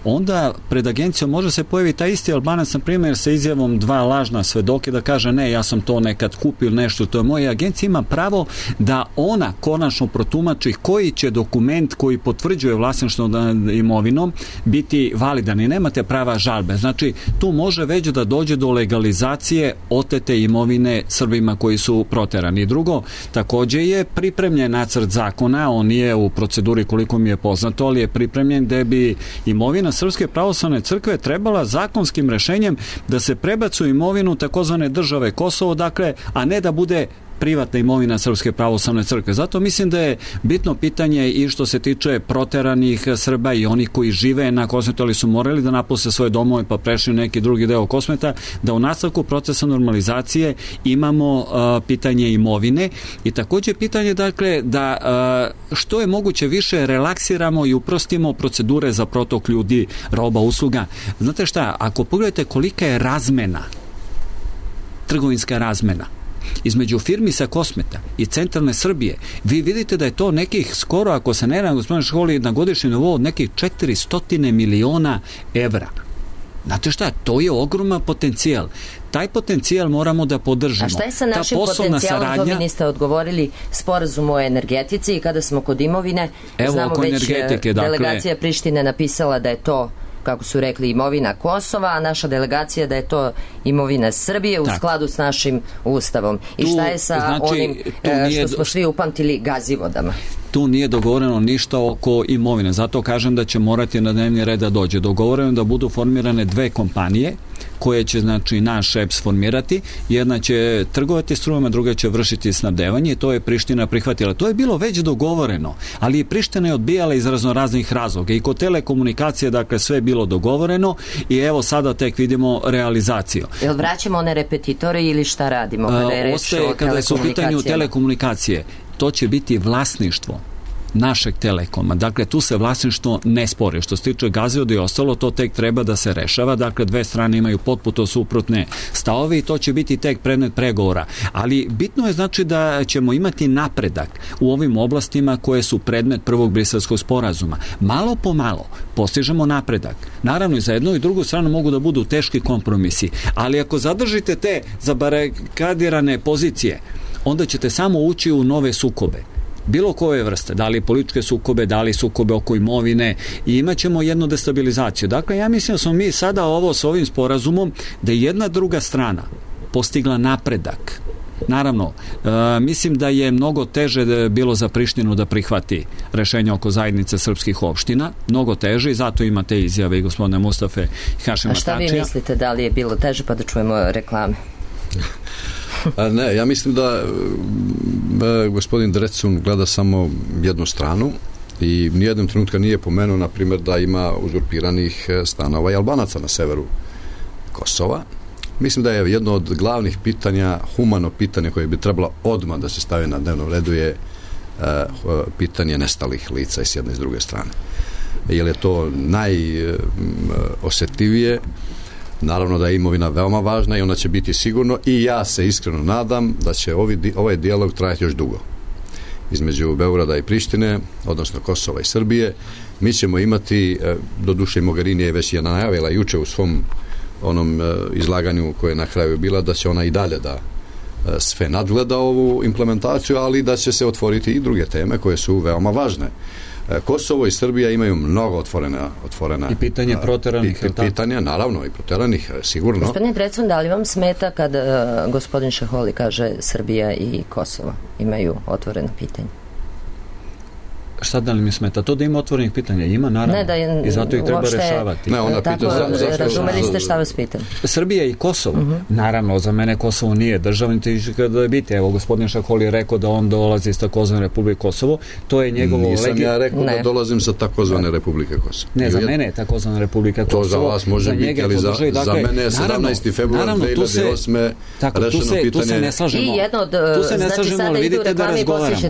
onda pred agencijom može se pojavi taj isti Albanac, na primjer, sa izjavom dva lažna svedoke da kaže ne, ja sam to nekad kupio nešto, to je moje. Agencija ima pravo da ona konačno protumači koji će dokument koji potvrđuje vlasništvo imovinom biti validan i nemate prava žalbe. Znači, tu može već da dođe do legalizacije otete imovine Srbima koji su proterani. I drugo, takođe je pripremljen nacrt zakona, on nije u proceduri koliko mi je poznato, ali je pripremljen gde bi imovina Srpske pravoslavne crkve trebala zakonskim rešenjem da se prebacu imovinu takozvane države Kosovo, dakle, a ne da bude privatna imovina Srpske pravoslavne crkve. Zato mislim da je bitno pitanje i što se tiče proteranih Srba i onih koji žive na Kosmetu, ali su morali da napuste svoje domove pa prešli u neki drugi deo Kosmeta, da u nastavku procesa normalizacije imamo uh, pitanje imovine i takođe pitanje, dakle, da uh, što je moguće više relaksiramo i uprostimo procedure za protok ljudi, roba, usluga. Znate šta, ako pogledate kolika je razmena, trgovinska razmena između firmi sa Kosmeta i centralne Srbije, vi vidite da je to nekih skoro, ako se ne na gospodine školi, na godišnjem nivou od nekih četiristo miliona evra. Znate šta, to je ogroman potencijal. Taj potencijal moramo da podržimo. A šta je sa našim potencijalom? Saradnja... To vi niste odgovorili, sporazum o energetici i kada smo kod imovine, Evo, znamo već energetike, dakle... delegacija Prištine napisala da je to kako su rekli, imovina Kosova, a naša delegacija da je to imovina Srbije u tako. Skladu s našim ustavom. I tu, šta je sa znači, onim što smo svi upamtili Gazivodama? Tu nije dogovoreno ništa oko imovine. Zato kažem da će morati na dnevni red da dođe. Dogovoreno da budu formirane dve kompanije koje će, znači, naš E P S formirati. Jedna će trgovati strujom, a druga će vršiti snabdevanje i to je Priština prihvatila. To je bilo već dogovoreno, ali i Priština je odbijala iz raznoraznih razloga. I kod telekomunikacije, dakle, sve je bilo dogovoreno i evo sada tek vidimo realizaciju. Jel vraćamo one repetitore ili šta radimo kada je reč Ostaje, o kada su u pitanju telekomunikacije, to će biti vlasništvo našeg Telekoma. Dakle, tu se vlasništvo ne spori. Što se tiče Gazivoda i ostalo, to tek treba da se rešava. Dakle, dve strane imaju potpuno suprotne stavove i to će biti tek predmet pregovora. Ali bitno je, znači, da ćemo imati napredak u ovim oblastima koje su predmet prvog Briselskog sporazuma. Malo po malo postižemo napredak. Naravno, i za jednu i drugu stranu mogu da budu teški kompromisi, ali ako zadržite te zabarikadirane pozicije, onda ćete samo ući u nove sukobe. Bilo koje vrste, da li političke sukobe, da li sukobe oko imovine i imat ćemo jednu destabilizaciju. Dakle, ja mislim da smo mi sada ovo s ovim sporazumom da je jedna druga strana postigla napredak. Naravno, e, mislim da je mnogo teže da je bilo za Prištinu da prihvati rešenje oko zajednice srpskih opština, mnogo teže i zato imate izjave i gospodine Mustafe i Hašima Tačija. A šta vi mislite, da li je bilo teže, pa da čujemo reklame? A ne, ja mislim da e, gospodin Drecun gleda samo jednu stranu i nijednom trenutka nije pomenuo, na primjer, da ima uzurpiranih stanova i Albanaca na severu Kosova. Mislim da je jedno od glavnih pitanja, humano pitanje koje bi trebalo odmah da se stavi na dnevnom redu je e, pitanje nestalih lica i s jedne i s druge strane. Jer je to najosetljivije. Naravno da je imovina veoma važna i ona će biti sigurno i ja se iskreno nadam da će ovi, ovaj dijalog trajati još dugo između Beograda i Prištine, odnosno Kosova i Srbije. Mi ćemo imati, doduše Mogherini je već je najavila juče u svom onom izlaganju koje je na kraju bila, da će ona i dalje da sve nadgleda ovu implementaciju, ali da će se otvoriti i druge teme koje su veoma važne. Kosovo i Srbija imaju mnogo otvorena, otvorena i pitanje proteranih pit, pitanja, naravno i proteranih, sigurno. Gospodine Drecun, da li vam smeta kad uh, gospodin Šeholi kaže Srbija i Kosovo imaju otvoreno pitanje? Šta da li mi smeta? To da ima otvorenih pitanja ima, naravno. Ne, da je, i zato ih treba uopšte, rešavati. Ne, ona tako, pita za, za, razumeli ste šta vas pitam? Srbija i Kosovo. Uh-huh. Naravno, za mene Kosovo nije državni, kada je biti. Evo, gospodin Šaholi je rekao da on dolazi iz takozvane Republike Kosovo. To je njegovo... Nisam legi... ja rekao ne. da dolazim sa takozvane Republike Kosovo. Ne, za mene je takozvana Republika Kosovo. To za vas može za biti, ali za, dakle, za mene je sedamnaesti februar dve hiljade osme rešeno pitanje. Tu se ne slažemo. I jedno od... Tu se ne slažemo, ali vidite da razgovaramo.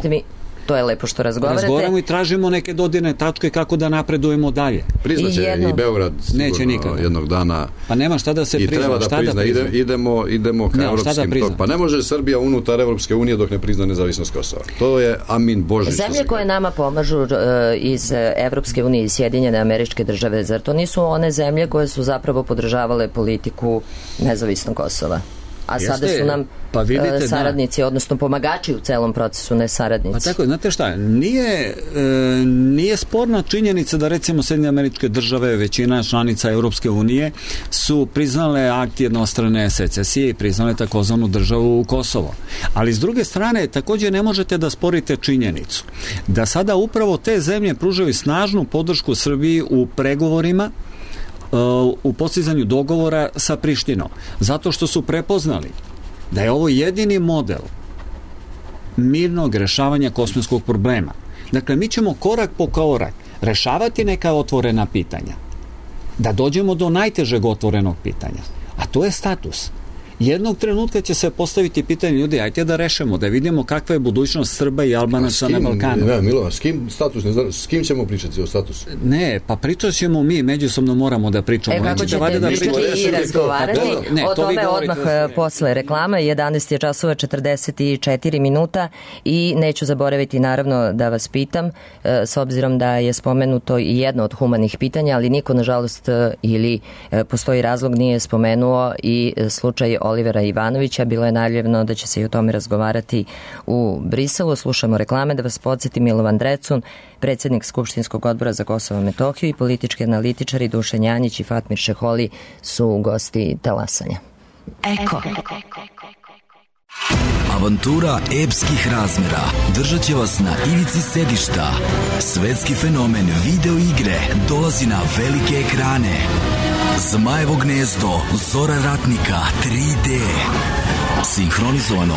To je lepo što razgovarate. Razgovaramo i tražimo neke dodirne tačke kako da napredujemo dalje. Priznaće i, jedno... i Beograd neće nikada jednog dana. Pa nema šta da se i prizna. Treba da šta prizna. Da prizna? Ide, idemo, idemo ka ne, evropskim da tok. Pa ne može Srbija unutar Evropske unije dok ne prizna nezavisnost Kosova. To je amin Bože. Zemlje koje nama pomažu uh, iz Evropske unije i Sjedinjene Američke Države, zar to nisu one zemlje koje su zapravo podržavale politiku nezavisnog Kosova? A Jeste, sada su nam pa vidite, saradnici, da. odnosno pomagači u celom procesu, ne saradnici. Pa tako, znate šta, nije, e, nije sporna činjenica da recimo Sjedinjene Američke Države, većina članica Evropske unije su priznale akt jednostrane secesije i priznale takozvanu državu Kosovo. Ali s druge strane, također ne možete da sporite činjenicu da sada upravo te zemlje pružaju snažnu podršku Srbiji u pregovorima u postizanju dogovora sa Prištinom. Zato što su prepoznali da je ovo jedini model mirnog rešavanja kosovskog problema. Dakle, mi ćemo korak po korak rešavati neka otvorena pitanja. Da dođemo do najtežeg otvorenog pitanja. A to je status. Jednog trenutka će se postaviti pitanje ljudi, ajte da rešemo, da vidimo kakva je budućnost Srba i Albanaca na Balkanu. Ne, Milo, s kim status, ne znam, s kim ćemo pričati o statusu? Ne, pa pričat ćemo mi, međusobno moramo da pričamo. E, kako ćete da pričati i razgovarati ne, ne, o tome odmah posle reklama, jedanaest je časova četrdeset četiri minuta i neću zaboraviti naravno da vas pitam, s obzirom da je spomenuto i jedno od humanih pitanja, ali niko nažalost ili postoji razlog nije spomenuo i slučaj Olivera Ivanovića. Bilo je najavljeno da će se i o tome razgovarati u Briselu. Slušamo reklame. Da vas podsjeti, Milovan Drecun, predsjednik Skupštinskog odbora za Kosovo i Metohiju, i politički analitičari Dušan Janjić i Fatmir Šeholi su gosti talasanja. Eko. Avantura epskih razmjera držat će vas na ivici sedišta. Svetski fenomen video igre dolazi na velike ekrane. Zmajevo gnezdo, Zora ratnika, tri D. Sinhronizovano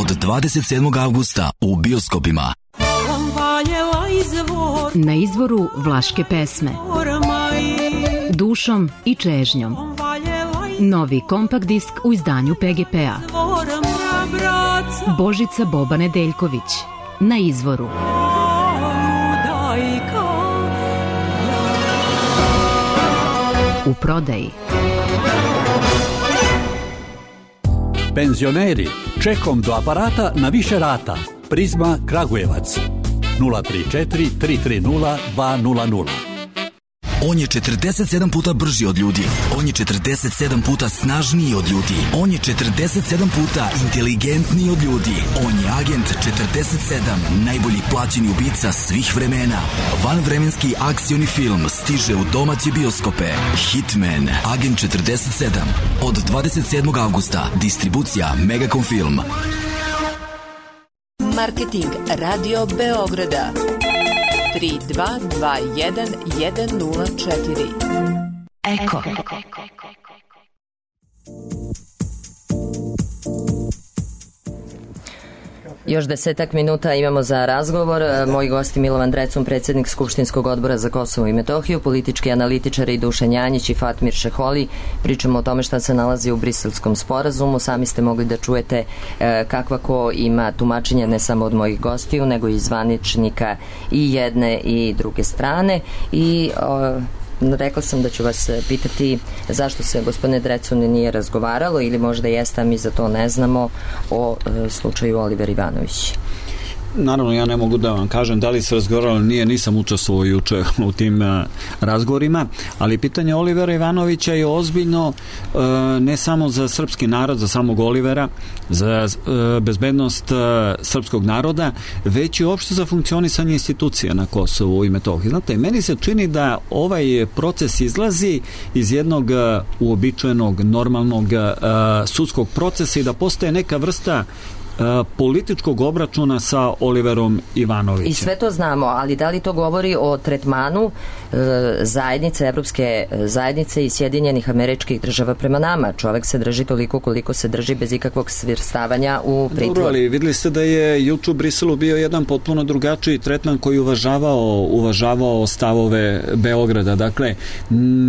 od dvadeset sedmog avgusta u bioskopima. Na izvoru vlaške pesme, dušom i čežnjom. Novi kompakt disk u izdanju P G P-a. Božica Boba Nedeljković. Na izvoru. U prodaji. Penzioneri, čekom do aparata na više rata. Prizma Kragujevac. nula tri četiri tri tri nula dva nula nula. On je četrdeset sedam puta brži od ljudi. On je četrdeset sedam puta snažniji od ljudi. On je četrdeset sedam puta inteligentniji od ljudi. On je agent četrdeset sedam, najbolji plaćeni ubica svih vremena. Vanvremenski akcioni film stiže u domaće bioskope. Hitman, agent četrdeset sedam. Od dvadeset sedmog avgusta. Distribucija Megacom Film. Marketing Radio Beograda tri dva dva jedan jedan nula četiri. Eko. Još desetak minuta imamo za razgovor. Moji gosti Milovan Drecun, predsjednik Skupštinskog odbora za Kosovo i Metohiju, politički analitičari Dušan Janjić i Fatmir Šeholi. Pričamo o tome šta se nalazi u Briselskom sporazumu. Sami ste mogli da čujete e, kakva ko ima tumačenja ne samo od mojih gostiju, nego i zvaničnika i jedne i druge strane. I o, rekla sam da ću vas pitati zašto se, gospodine Drecun, nije razgovaralo, ili možda jeste, a mi za to ne znamo, o e, slučaju Oliver Ivanović. Naravno, ja ne mogu da vam kažem da li se razgovaralo, nije, nisam učestvovao juče u tim uh, razgovorima, ali pitanje Olivera Ivanovića je ozbiljno uh, ne samo za srpski narod, za samog Olivera, za uh, bezbednost uh, srpskog naroda, već i uopšte za funkcionisanje institucija na Kosovu i Metohiji. Znate, meni se čini da ovaj proces izlazi iz jednog uh, uobičajenog, normalnog uh, sudskog procesa i da postaje neka vrsta političkog obračuna sa Oliverom Ivanovićem. I sve to znamo, ali da li to govori o tretmanu e, zajednice, evropske zajednice i Sjedinjenih Američkih Država prema nama? Čovek se drži toliko koliko se drži, bez ikakvog svrstavanja u pritvor. Dobro, ali videli ste da je juče u Briselu bio jedan potpuno drugačiji tretman koji uvažavao, uvažavao stavove Beograda. Dakle,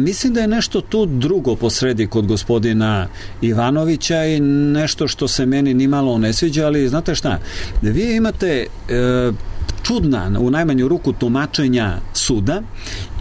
mislim da je nešto tu drugo posredi kod gospodina Ivanovića i nešto što se meni nimalo ne sviđa, ali znate šta, vi imate e, čudna, u najmanju ruku, tumačenja suda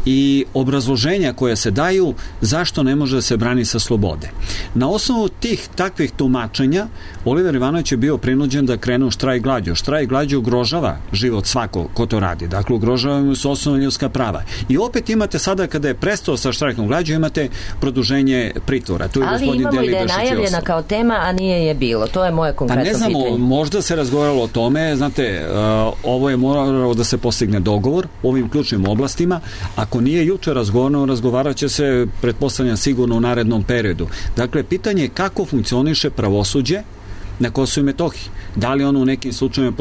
i obrazloženja koje se daju zašto ne može da se brani sa slobode. Na osnovu tih takvih tumačenja Oliver Ivanović je bio prinuđen da krene u štrajk glađu. Štrajk glađu ugrožava život svako ko to radi. Dakle, ugrožava mu se osnovna ljudska prava. I opet imate sada, kada je prestao sa štrajkom glađu, imate produženje pritvora. Tu je ali imamo i da je najavljena kao tema, a nije je bilo. To je moje konkretno pitanje. Pa ne znamo, pitanje. Možda se razgovaralo o tome. Znate, uh, ovo je moralo da se postigne dogovor u ovim ključnim oblastima. Ako nije juče razgovarano, razgovarat će se, pretpostavljam, sigurno u narednom periodu. Dakle, pitanje je kako funkcioniše pravosuđe na Kosovu i Metohiji. Da li ono u nekim slučajevima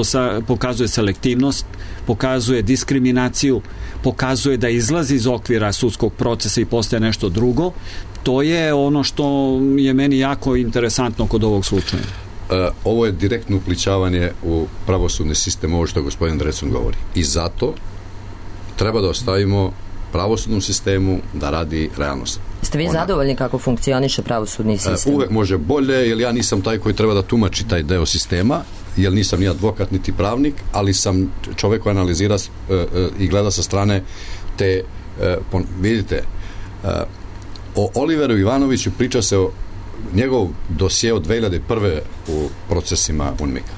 pokazuje selektivnost, pokazuje diskriminaciju, pokazuje da izlazi iz okvira sudskog procesa i postaje nešto drugo. To je ono što je meni jako interesantno kod ovog slučaja. E, ovo je direktno uplićavanje u pravosudni sistem, ovo što gospodin Drecun govori. I zato treba da ostavimo pravosudnom sistemu da radi realnost. Ste vi Ona, zadovoljni kako funkcioniše pravosudni sistem? Uvek može bolje, jer ja nisam taj koji treba da tumači taj deo sistema, jer nisam ni advokat niti pravnik, ali sam čovek koji analizira uh, uh, i gleda sa strane te, uh, pon, vidite, uh, o Oliveru Ivanoviću priča se o njegov dosje od dve hiljade prve u procesima U N M I K-a.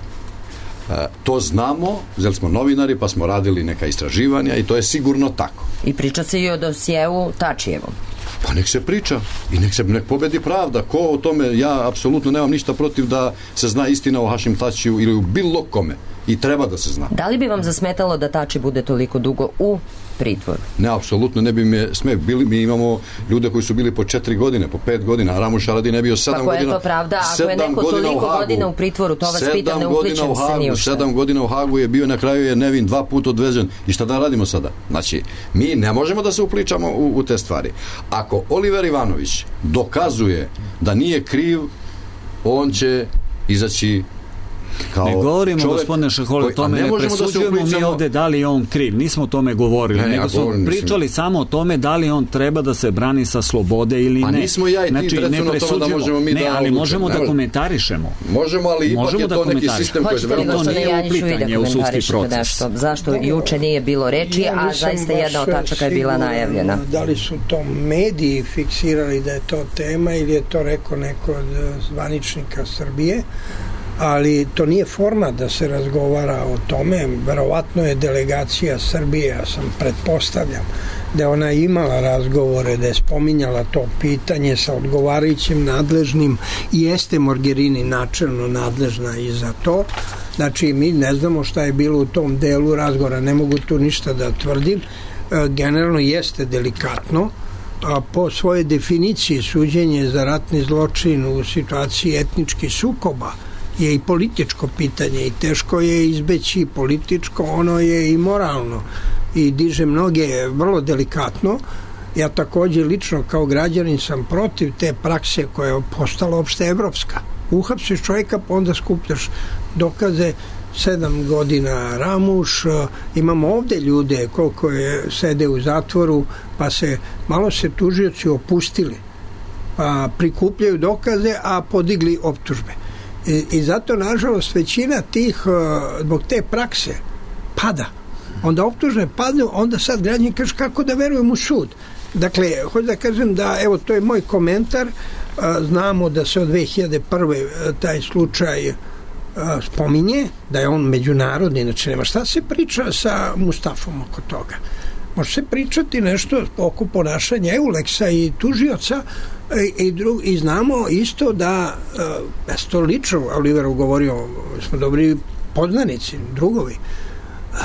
Uh, to znamo, jer smo novinari pa smo radili neka istraživanja i to je sigurno tako. I priča se i o dosjeu Tačijevom. pa nek se priča i nek se nek pobedi pravda. Ko o tome, ja apsolutno nemam ništa protiv da se zna istina o Hašim Tačiju ili u bilo kome i treba da se zna. Da li bi vam zasmetalo da Tači bude toliko dugo u pritvoru? Ne, apsolutno ne bi me smeh. Bili, mi imamo ljude koji su bili po četiri godine, po pet godina, a Ramuš Haradin je bio sedam godina. Pa koja je to pravda? Ako je neko toliko godina u pritvoru, to vas pitam, ne upličem se ni u šta. Sedam godina u Hagu je bio, na kraju je nevin, dva puta odvezen. I šta da radimo sada? Znači, mi ne možemo da se upličamo u, u te stvari. Ako Oliver Ivanović dokazuje da nije kriv, on će izaći kao ne govorimo, čovjek, gospodine Šeholi, o tome ne, ne presuđujemo da mi ovde da li je on kriv, nismo o tome govorili, ne, nego smo govorim, pričali mislim. samo o tome da li on treba da se brani sa slobode ili pa ne. Pa nismo ja i ti znači, predstavno o tome da možemo mi ne, da ali možemo da komentarišemo. Možemo, ali ipak možemo je to da neki sistem koji je veoma... to nije uplitanje u sudski proces. Nešto. Zašto juče nije bilo reči, a zaista jedna od tačaka je bila najavljena. Da li su to mediji fiksirali da je to tema ili je to rekao neko od zvaničnika Srbije, ali to nije forma da se razgovara o tome. Verovatno je delegacija Srbije, ja sam pretpostavljam da je ona imala razgovore, da je spominjala to pitanje sa odgovarajućim nadležnim i jeste Mogherini načelno nadležna i za to. Znači mi ne znamo šta je bilo u tom delu razgovora, ne mogu tu ništa da tvrdim. Generalno jeste delikatno, a po svojoj definiciji suđenje za ratni zločin u situaciji etničkih sukoba je i političko pitanje i teško je izbeći političko, ono je i moralno i diže mnoge vrlo delikatno. Ja takođe lično kao građanin sam protiv te prakse koja je postala opšte evropska. Uhapsiš čovjeka pa onda skupljaš dokaze. Sedam godina Ramuš, imamo ovde ljude koliko je sede u zatvoru, pa se malo se tužioci opustili, pa prikupljaju dokaze, a podigli optužbe. I, i zato, nažalost, većina tih, zbog te prakse, pada. Onda optužne padnu, onda sad građani kaže kako da verujem u sud. Dakle, hoću da kažem da, evo, to je moj komentar, znamo da se od dve hiljade prve taj slučaj spominje, da je on međunarodni, znači nema šta se priča sa Mustafom oko toga. Može se pričati nešto oko ponašanja Euleksa i tužioca i, i, drug, i znamo isto da ja sam to lično Oliveru govorio, smo dobri poznanici, drugovi,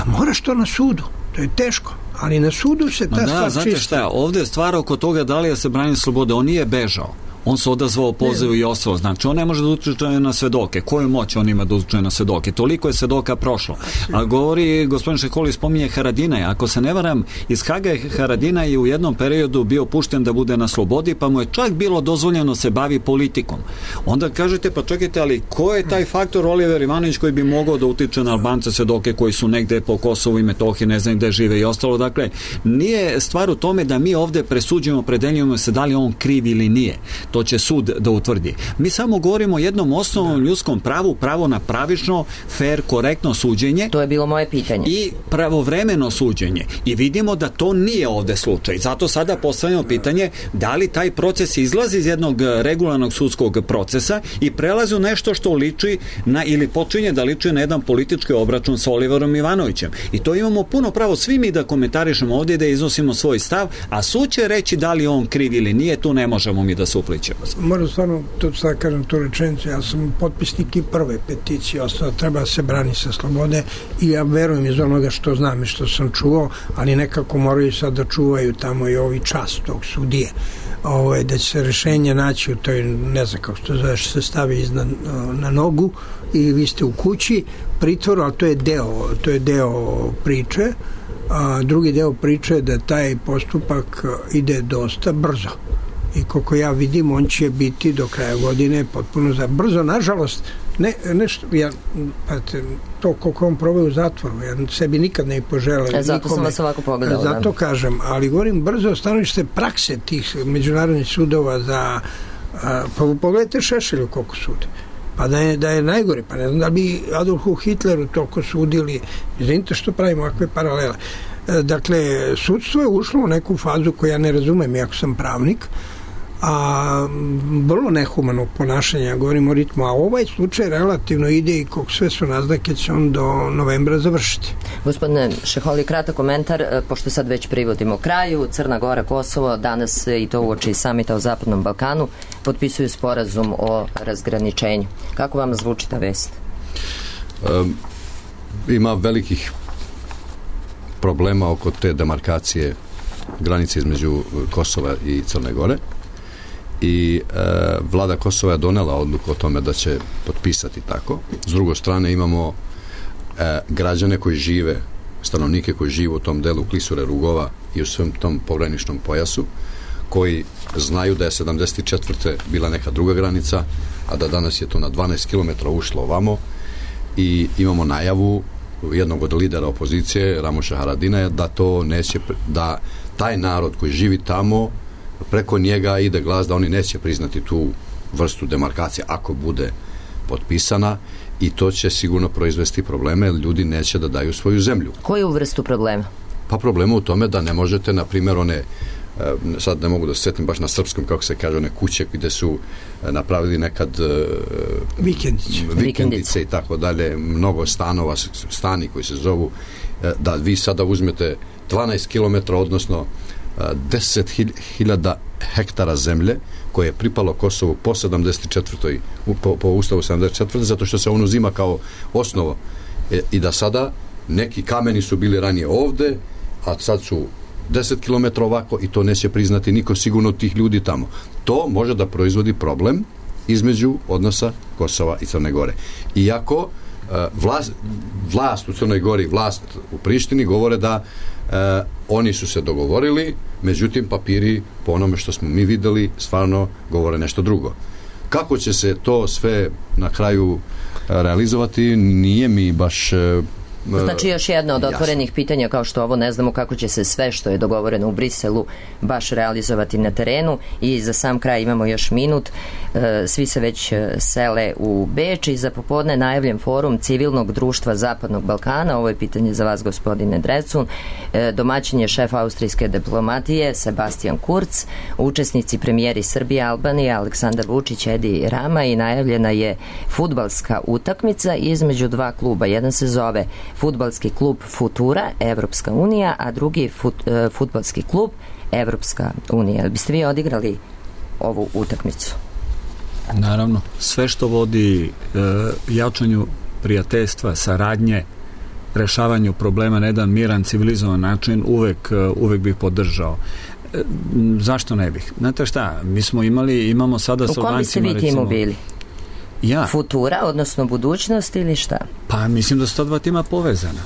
moraš to na sudu, to je teško, ali na sudu se ta da, stvar znate čisti. Šta, ovde je stvar oko toga da li je se brani slobode, on nije bežao. On se odazvao pozivu i ostalo. Znači, on ne može da utiče na svedoke. Koju moć on ima da utiče na svedoke? Toliko je svedoka prošlo. A govori, gospodin Šeholi spominje Haradinaj. Ako se ne varam, iz Haga je Haradinaj u jednom periodu bio pušten da bude na slobodi, pa mu je čak bilo dozvoljeno se bavi politikom. Onda kažete, pa čekajte, ali ko je taj faktor Oliver Ivanović koji bi mogao da utiče na Albance svedoke koji su negde po Kosovu i Metohiji, ne znam gde žive i ostalo. Dakle, nije stvar u tome da mi ovde presuđujemo, predeljujemo se da li on kriv ili nije. To će sud da utvrdi. Mi samo govorimo o jednom osnovnom ljudskom pravu, pravo na pravično, fair, korektno suđenje. To je bilo moje pitanje. I pravovremeno suđenje. I vidimo da to nije ovde slučaj. Zato sada postavljamo pitanje da li taj proces izlazi iz jednog regularnog sudskog procesa i prelazi u nešto što liči na, ili počinje da liči na jedan politički obračun sa Oliverom Ivanovićem. I to imamo puno pravo svi mi da komentarišemo ovdje, da iznosimo svoj stav, a sud će reći da li on kriv ili nije, tu ne možemo mi da se upličemo. Moram stvarno, to sad kažem tu rečenicu, ja sam potpisnik i prve peticije, ostalo treba da se brani sa slobode i ja verujem iz onoga što znam i što sam čuo, ali nekako moraju sad da čuvaju tamo i ovi čas tog sudije. Ovo, da će se rešenje naći u toj, ne znam kako to zove, se stavi iznad, na nogu i vi ste u kući, pritvoru, ali to je deo, to je deo priče. A drugi deo priče je da taj postupak ide dosta brzo. I koliko ja vidim, on će biti do kraja godine potpuno za brzo. Nažalost, ne, nešto, ja, pate, to koliko on probao u zatvoru, ja sebi nikad ne poželeo. E, zato nikome, sam vas ovako pogledala. Zato da. kažem, ali govorim brzo stanovište prakse tih međunarodnih sudova za, a, pa pogledajte Šešelju koliko sude. Pa da je, da je najgore, pa ne znam da bi Adolfu Hitleru toliko sudili, izvinite što pravimo ovakve paralele. Dakle, sudstvo je ušlo u neku fazu koju ja ne razumem, iako sam pravnik, a vrlo nehumano ponašanje, govorimo o ritmu, a ovaj slučaj relativno ide i kog sve su naznake će on do novembra završiti. Gospodine Šeholi, kratak komentar, pošto sad već privodimo kraju, Crna Gora, Kosovo, danas i to uoči samita o Zapadnom Balkanu, potpisuju sporazum o razgraničenju. Kako vam zvuči ta vest? Um, ima velikih problema oko te demarkacije granice između Kosova i Crne Gore i e, vlada Kosova je donela odluku o tome da će potpisati tako. S druge strane imamo e, građane koji žive, stanovnike koji žive u tom delu Klisure, Rugova i u svom tom pograničnom pojasu, koji znaju da je sedamdeset četvrte bila neka druga granica, a da danas je to na dvanaest kilometara ušlo ovamo i imamo najavu jednog od lidera opozicije, Ramoša Haradinaja, da to neće, da taj narod koji živi tamo, preko njega ide glas da oni neće priznati tu vrstu demarkacije ako bude potpisana i to će sigurno proizvesti probleme, jer ljudi neće da daju svoju zemlju. Koju vrstu problema? Pa problema u tome da ne možete, na primjer, one, sad ne mogu da se setim baš na srpskom, kako se kaže, one kuće gde su napravili nekad vikendice, vikendice i tako dalje, mnogo stanova, stani koji se zovu, da vi sada uzmete dvanaest kilometara, odnosno deset hiljada hektara zemlje koje je pripalo Kosovu po sedamdeset četvrtoj po, po ustavu sedamdeset četvrte zato što se on uzima kao osnovo e, i da sada neki kameni su bili ranije ovde, a sad su deset kilometara ovako i to neće priznati niko sigurno od tih ljudi tamo. To može da proizvodi problem između odnosa Kosova i Crne Gore. Iako vlast, vlast u Crnoj Gori, vlast u Prištini govore da e, oni su se dogovorili, međutim papiri po onome što smo mi videli stvarno govore nešto drugo. Kako će se to sve na kraju realizovati, nije mi baš e, Znači još jedno od otvorenih jasno. pitanja, kao što ovo ne znamo kako će se sve što je dogovoreno u Briselu baš realizovati na terenu. I za sam kraj imamo još minut. Svi se već sele u Beč i za popodne najavljen forum civilnog društva Zapadnog Balkana. Ovo je pitanje za vas, gospodine Drecun. Domaćin je šef austrijske diplomatije Sebastian Kurz, učesnici premijeri Srbije, Albanije, Aleksandar Vučić, Edi Rama, i najavljena je fudbalska utakmica između dva kluba. Jedan se zove fudbalski klub Futura, Evropska unija, a drugi fut, uh, fudbalski klub Evropska unija. Biste vi odigrali ovu utakmicu? Naravno. Sve što vodi uh, jačanju prijateljstva, saradnje, rešavanju problema na jedan miran, civilizovan način, uvek, uh, uvek bih podržao. Uh, zašto ne bih? Znate šta, mi smo imali, imamo sada sa Albancima, recimo... U kom biste vi timu bili? Ja. Futura, odnosno budućnost ili šta? Pa mislim da su ta dva tima povezana.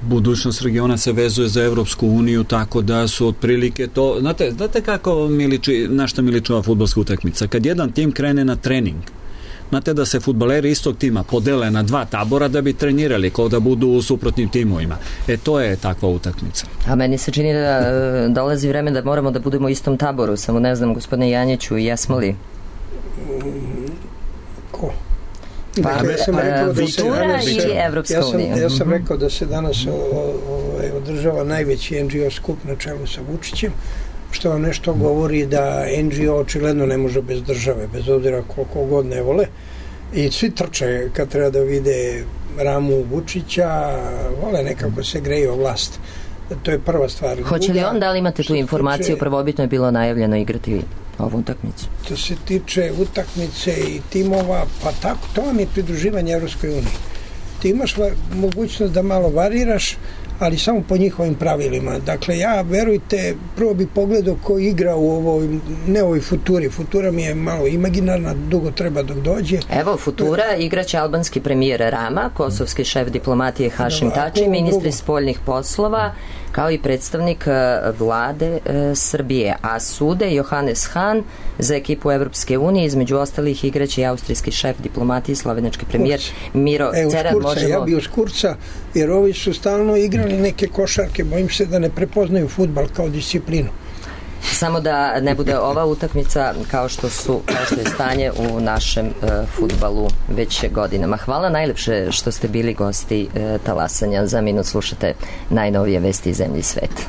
Budućnost regiona se vezuje za Evropsku uniju, tako da su otprilike to... Znate, znate kako mi liči, na šta mi liči ova fudbalska utakmica? Kad jedan tim krene na trening, znate da se fudbaleri istog tima podele na dva tabora da bi trenirali, kao da budu u suprotnim timovima. E, to je takva utakmica. A meni se čini da dolazi vreme da moramo da budemo u istom taboru, samo ne znam, gospodine Janjiću, jesmo li? Ko? Pa, dakle, ja sam pa, rekao da se danas, i Evropska ja sam, unija. ja sam rekao da se danas o, o, održava najveći en dži o skup na čelu sa Vučićem, što vam nešto govori da en dži o očigledno ne može bez države, bez obzira koliko god ne vole, i svi trče kad treba da vide Ramu Vučića, vole nekako se greju o vlast. To je prva stvar. Hoće li on, da li imate tu informaciju, prvobitno je bilo najavljeno igrati ovu utakmicu? To se tiče utakmice i timova, pa tako, to vam je pridruživanje Evropskoj uniji. Ti imaš mogućnost da malo variraš, ali samo po njihovim pravilima. Dakle, ja, verujte, prvo bi pogledao ko igra u ovoj, ne ovoj Futuri. Futura mi je malo imaginarna, dugo treba dok dođe. Evo, Futura igraće albanski premijer Rama, kosovski šef diplomatije Hašim Tači, ministri spoljnih poslova, kao i predstavnik vlade e, Srbije. A sude Johannes Hahn za ekipu Evropske unije, između ostalih igraće i austrijski šef diplomatije, slovenački premijer Miro e, Ceran. Možemo... Ja bi uz Kurca, jer ovi su stalno igrali neke košarke, bojim se da ne prepoznaju fudbal kao disciplinu. Samo da ne bude ova utakmica kao što su, kao što je stanje u našem uh, fudbalu već godinama. Hvala najlepše što ste bili gosti uh, Talasanja. Za minut slušate najnovije vesti iz zemlje i sveta.